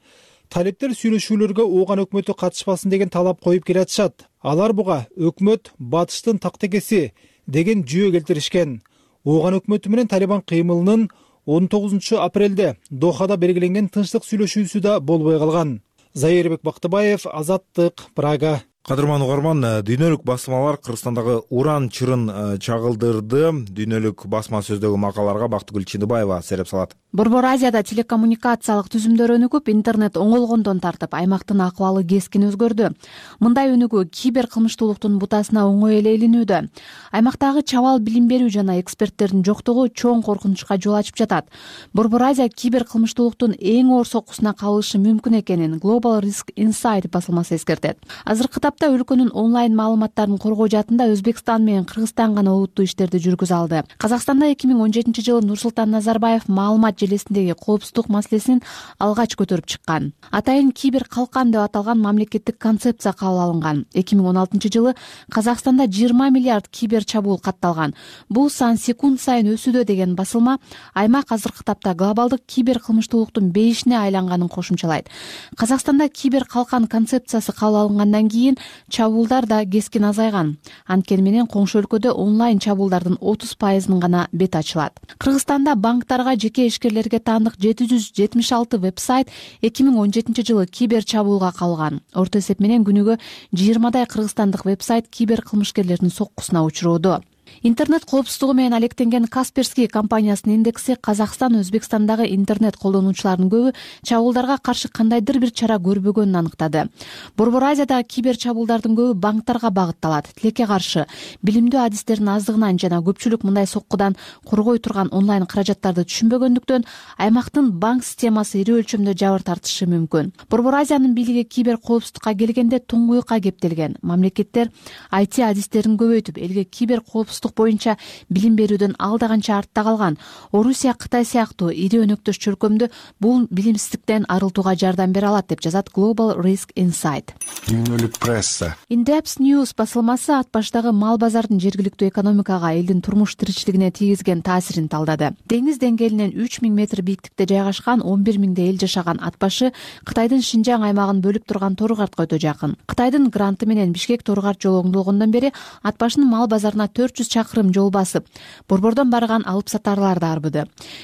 Талиптер сүйлөшүүлөргө Ооган өкмөтү катышпасын деген талап коюп келатышат. Алар буга өкмөт батыштын тактекеси деген жүйө келтиришкен. Ооган өкмөтү менен Талибан кыймылынын он тогузунчу апрелде Дохада белгиленген тынчтык сүйлөшүүсү да болбой калган. Зайырбек Бактыбаев, Азаттык, Прага. Кадырман угарман, дүйнөлүк басмалар Кыргызстандагы уран чырын чагылдырды. Дүйнөлүк басма сөздөгү макалаларга Бактыгүл Чындыбаева сереп салат. Борбор Азияда телекоммуникациялык түзүмдөр өнүгүп, интернет оңолгондон тартып, аймактын акыбалы кескин өзгөрдү. Мындай өнүгүү кибер кылмыштуулуктун бутасына оңой эле илинүүдө. Аймактагы чабал билим берүү жана эксперттердин жоктугу чоң коркунучка жол ачып жатат. Борбор Азия кибер кылмыштуулуктун эң оор соккусуна кабылышы мүмкүн экенин Global Risk Insight басылмасы эскертет. Азыркы тапта өлкөнүн онлайн маалыматтарын коргоо жаатында Өзбекстан менен Кыргызстан гана олуттуу иштерди жүргүзө алды. Казакстанда эки миң он жетинчи жылы Нурсултан Назарбаев маалымат желесиндеги коопсуздук маселесин алгач көтөрүп чыккан. Атайын кибер калкан деп аталган мамлекеттик концепция кабыл алынган. эки миң он алтынчы жылы Казакстанда жыйырма миллиард кибер чабуул катталган. Бул сан секунд сайын өсүүдө деген басылма аймак азыркы тапта глобалдык кибер кылмыштуулуктун бейишине айланганын кошумчалайт. Казакстанда кибер калкан концепциясы кабыл алынгандан кийин чабуулдар да кескин азайган. Анткени менен коңшу өлкөдө онлайн чабуулдардын отуз пайызынын гана бети ачылат. Кыргызстанда банктарга, жеке ишкерлерге таандык жети жүз жетимиш алты веб-сайт эки миң он жетинчи жылы кибер чабуулга кабылган. Орто эсеп менен күнүгө жыйырмадай кыргызстандык веб-сайт кибер кылмышкерлердин соккусуна учуроодо. Интернет коопсуздугу менен алектенген Касперский компаниясынын индекси Казакстан, Өзбекстандагы интернет колдонуучулардын көбү чабуулдарга каршы кандайдыр бир чара көрбөгөнүн аныктады. Борбор Азиядагы кибер чабуулдардын көбү банктарга багытталат. Тилекке каршы билимдүү адистердин аздыгынан жана көпчүлүк мындай соккудан коргой турган онлайн каражаттарды түшүнбөгөндүктөн аймактын банк системасы ири өлчөмдө жабыр тартышы мүмкүн. Борбор Азиянын бийлиги кибер коопсуздукка келгенде туңгуюкка кептелген. Мамлекеттер ай ти адистерин көбөйтүп, элге кибер коопсуздук боюнча билим берүүдөн алда канча артта калган. Орусия, Кытай сыяктуу ири өнөктөш чөлкөмдө бул билимсиздиктен арылтууга жардам бере алат деп жазат Global Risk Insight. Дүйнөлүк пресса. Indeps News басылмасы ат баштагы мал базардын жергиликтүү экономикага, элдин турмуш тиричилигине тийгизген таасирин талдады. Деңиз деңгээлинен үч миң метр бийиктикте жайгашкан он бир миңдей эл жашаган ат башы Кытайдын Шинжаң аймагын бөлүп турган Торгартка өтө жакын. Кытайдын гранты менен Бишкек Торгарт жолу оңдолгондон бери ат башынын мал базарына төрт жүз чакырым жол басып, борбордон барган алып сатарлар да арбыды.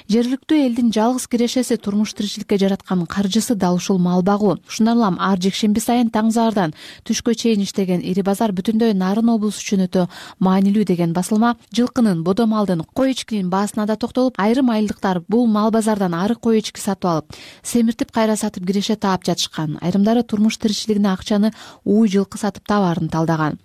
Жергиликтүү элдин жалгыз кирешеси турмуш тиричиликке жараткан каржысы дал ушул мал багуу. Ушундан улам ар жекшемби сайын таң заардан түшкө чейин иштеген ири базар бүтүндөй Нарын облусу үчүн өтө маанилүү деген басылма жылкынын, бодо малдын, кой эчкинин баасына да токтолуп, айрым айылдыктар бул мал базардан ары кой эчки сатып алып, семиртип кайра сатып киреше таап жатышкан. Айрымдары турмуш тиричилигине акчаны ууй жылкы сатып табаарын талдаган.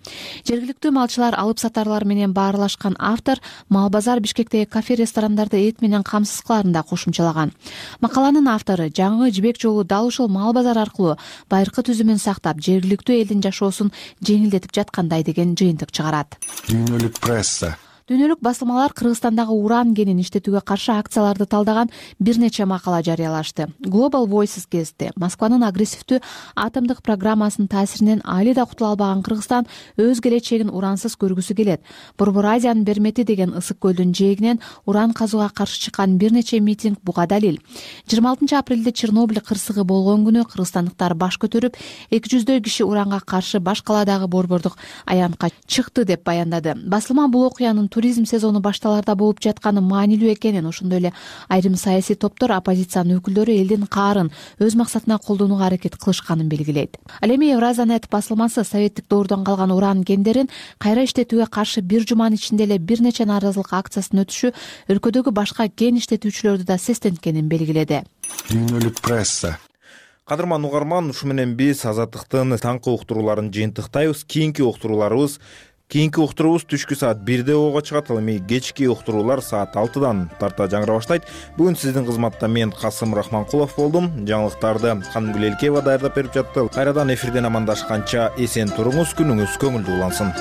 Жергиликтүү малчылар, алып сатарлар менен баарлашкан автор мал базар Бишкектеги кафе ресторандарды эт менен камсыз кыларын да кошумчалаган. Макаланын автору жаңы жибек жолу дал ушул мал базар аркылуу байыркы түзүмүн сактап, жергиликтүү элдин жашоосун жеңилдетип жаткандай деген жыйынтык чыгарат. Дүйнөлүк пресса. Дүйнөлүк басылмалар Кыргызстандагы уран кенин иштетүүгө каршы акцияларды талдаган бир нече макала жарыялашты. Global Voices кезди Москванын агрессивдүү атомдук программасынын таасиринен али да кутула албаган Кыргызстан өз келечегин урансыз көргүсү келет. Борбор Азиянын Бермети деген ысык көлдүн жээгинен уран казууга каршы чыккан бир нече митинг буга далил. жыйырма алтынчы апрелде Чернобыль кырсыгы болгон күнү кыргызстандыктар баш көтөрүп, эки жүздөй киши уранга каршы баш каладагы борбордук аянтка чыкты деп баяндады. Басылма бул окуянын туризм сезону башталарда болуп жатканы маанилүү экенин, ошондой эле айрым саясий топтор оппозициянын өкүлдөрү элдин каарын өз максатына колдонууга аракет кылышканын белгилейт. Ал эми Евразанет басылмасы советтик доордон калган уран кендерин кайра иштетүүгө каршы бир жуманын ичинде эле бир нече нааразылык акциясын өтүшү өлкөдөгү башка кен иштетүүчүлөрдү да сестенткенин белгиледи. Дүйнөлүк пресса. Кадырман угарман, ушу менен биз Азаттыктын таңкы уктурууларын жыйынтыктайбыз. Кийинки уктурууларыбыз Кийинки уктуруубуз түшкү саат бирде ого чыгат. Ал эми кечки уктуруулар саат алтыдан тарта жаңыра баштайт. Бүгүн сиздин кызматта мен Касым Рахманкулов болдум. Жаңылыктарды Канымгүл Элкеева даярдап берип жатты. Кайрадан эфирден амандашканча эсен туруңуз, күнүңүз көңүлдүү улансын.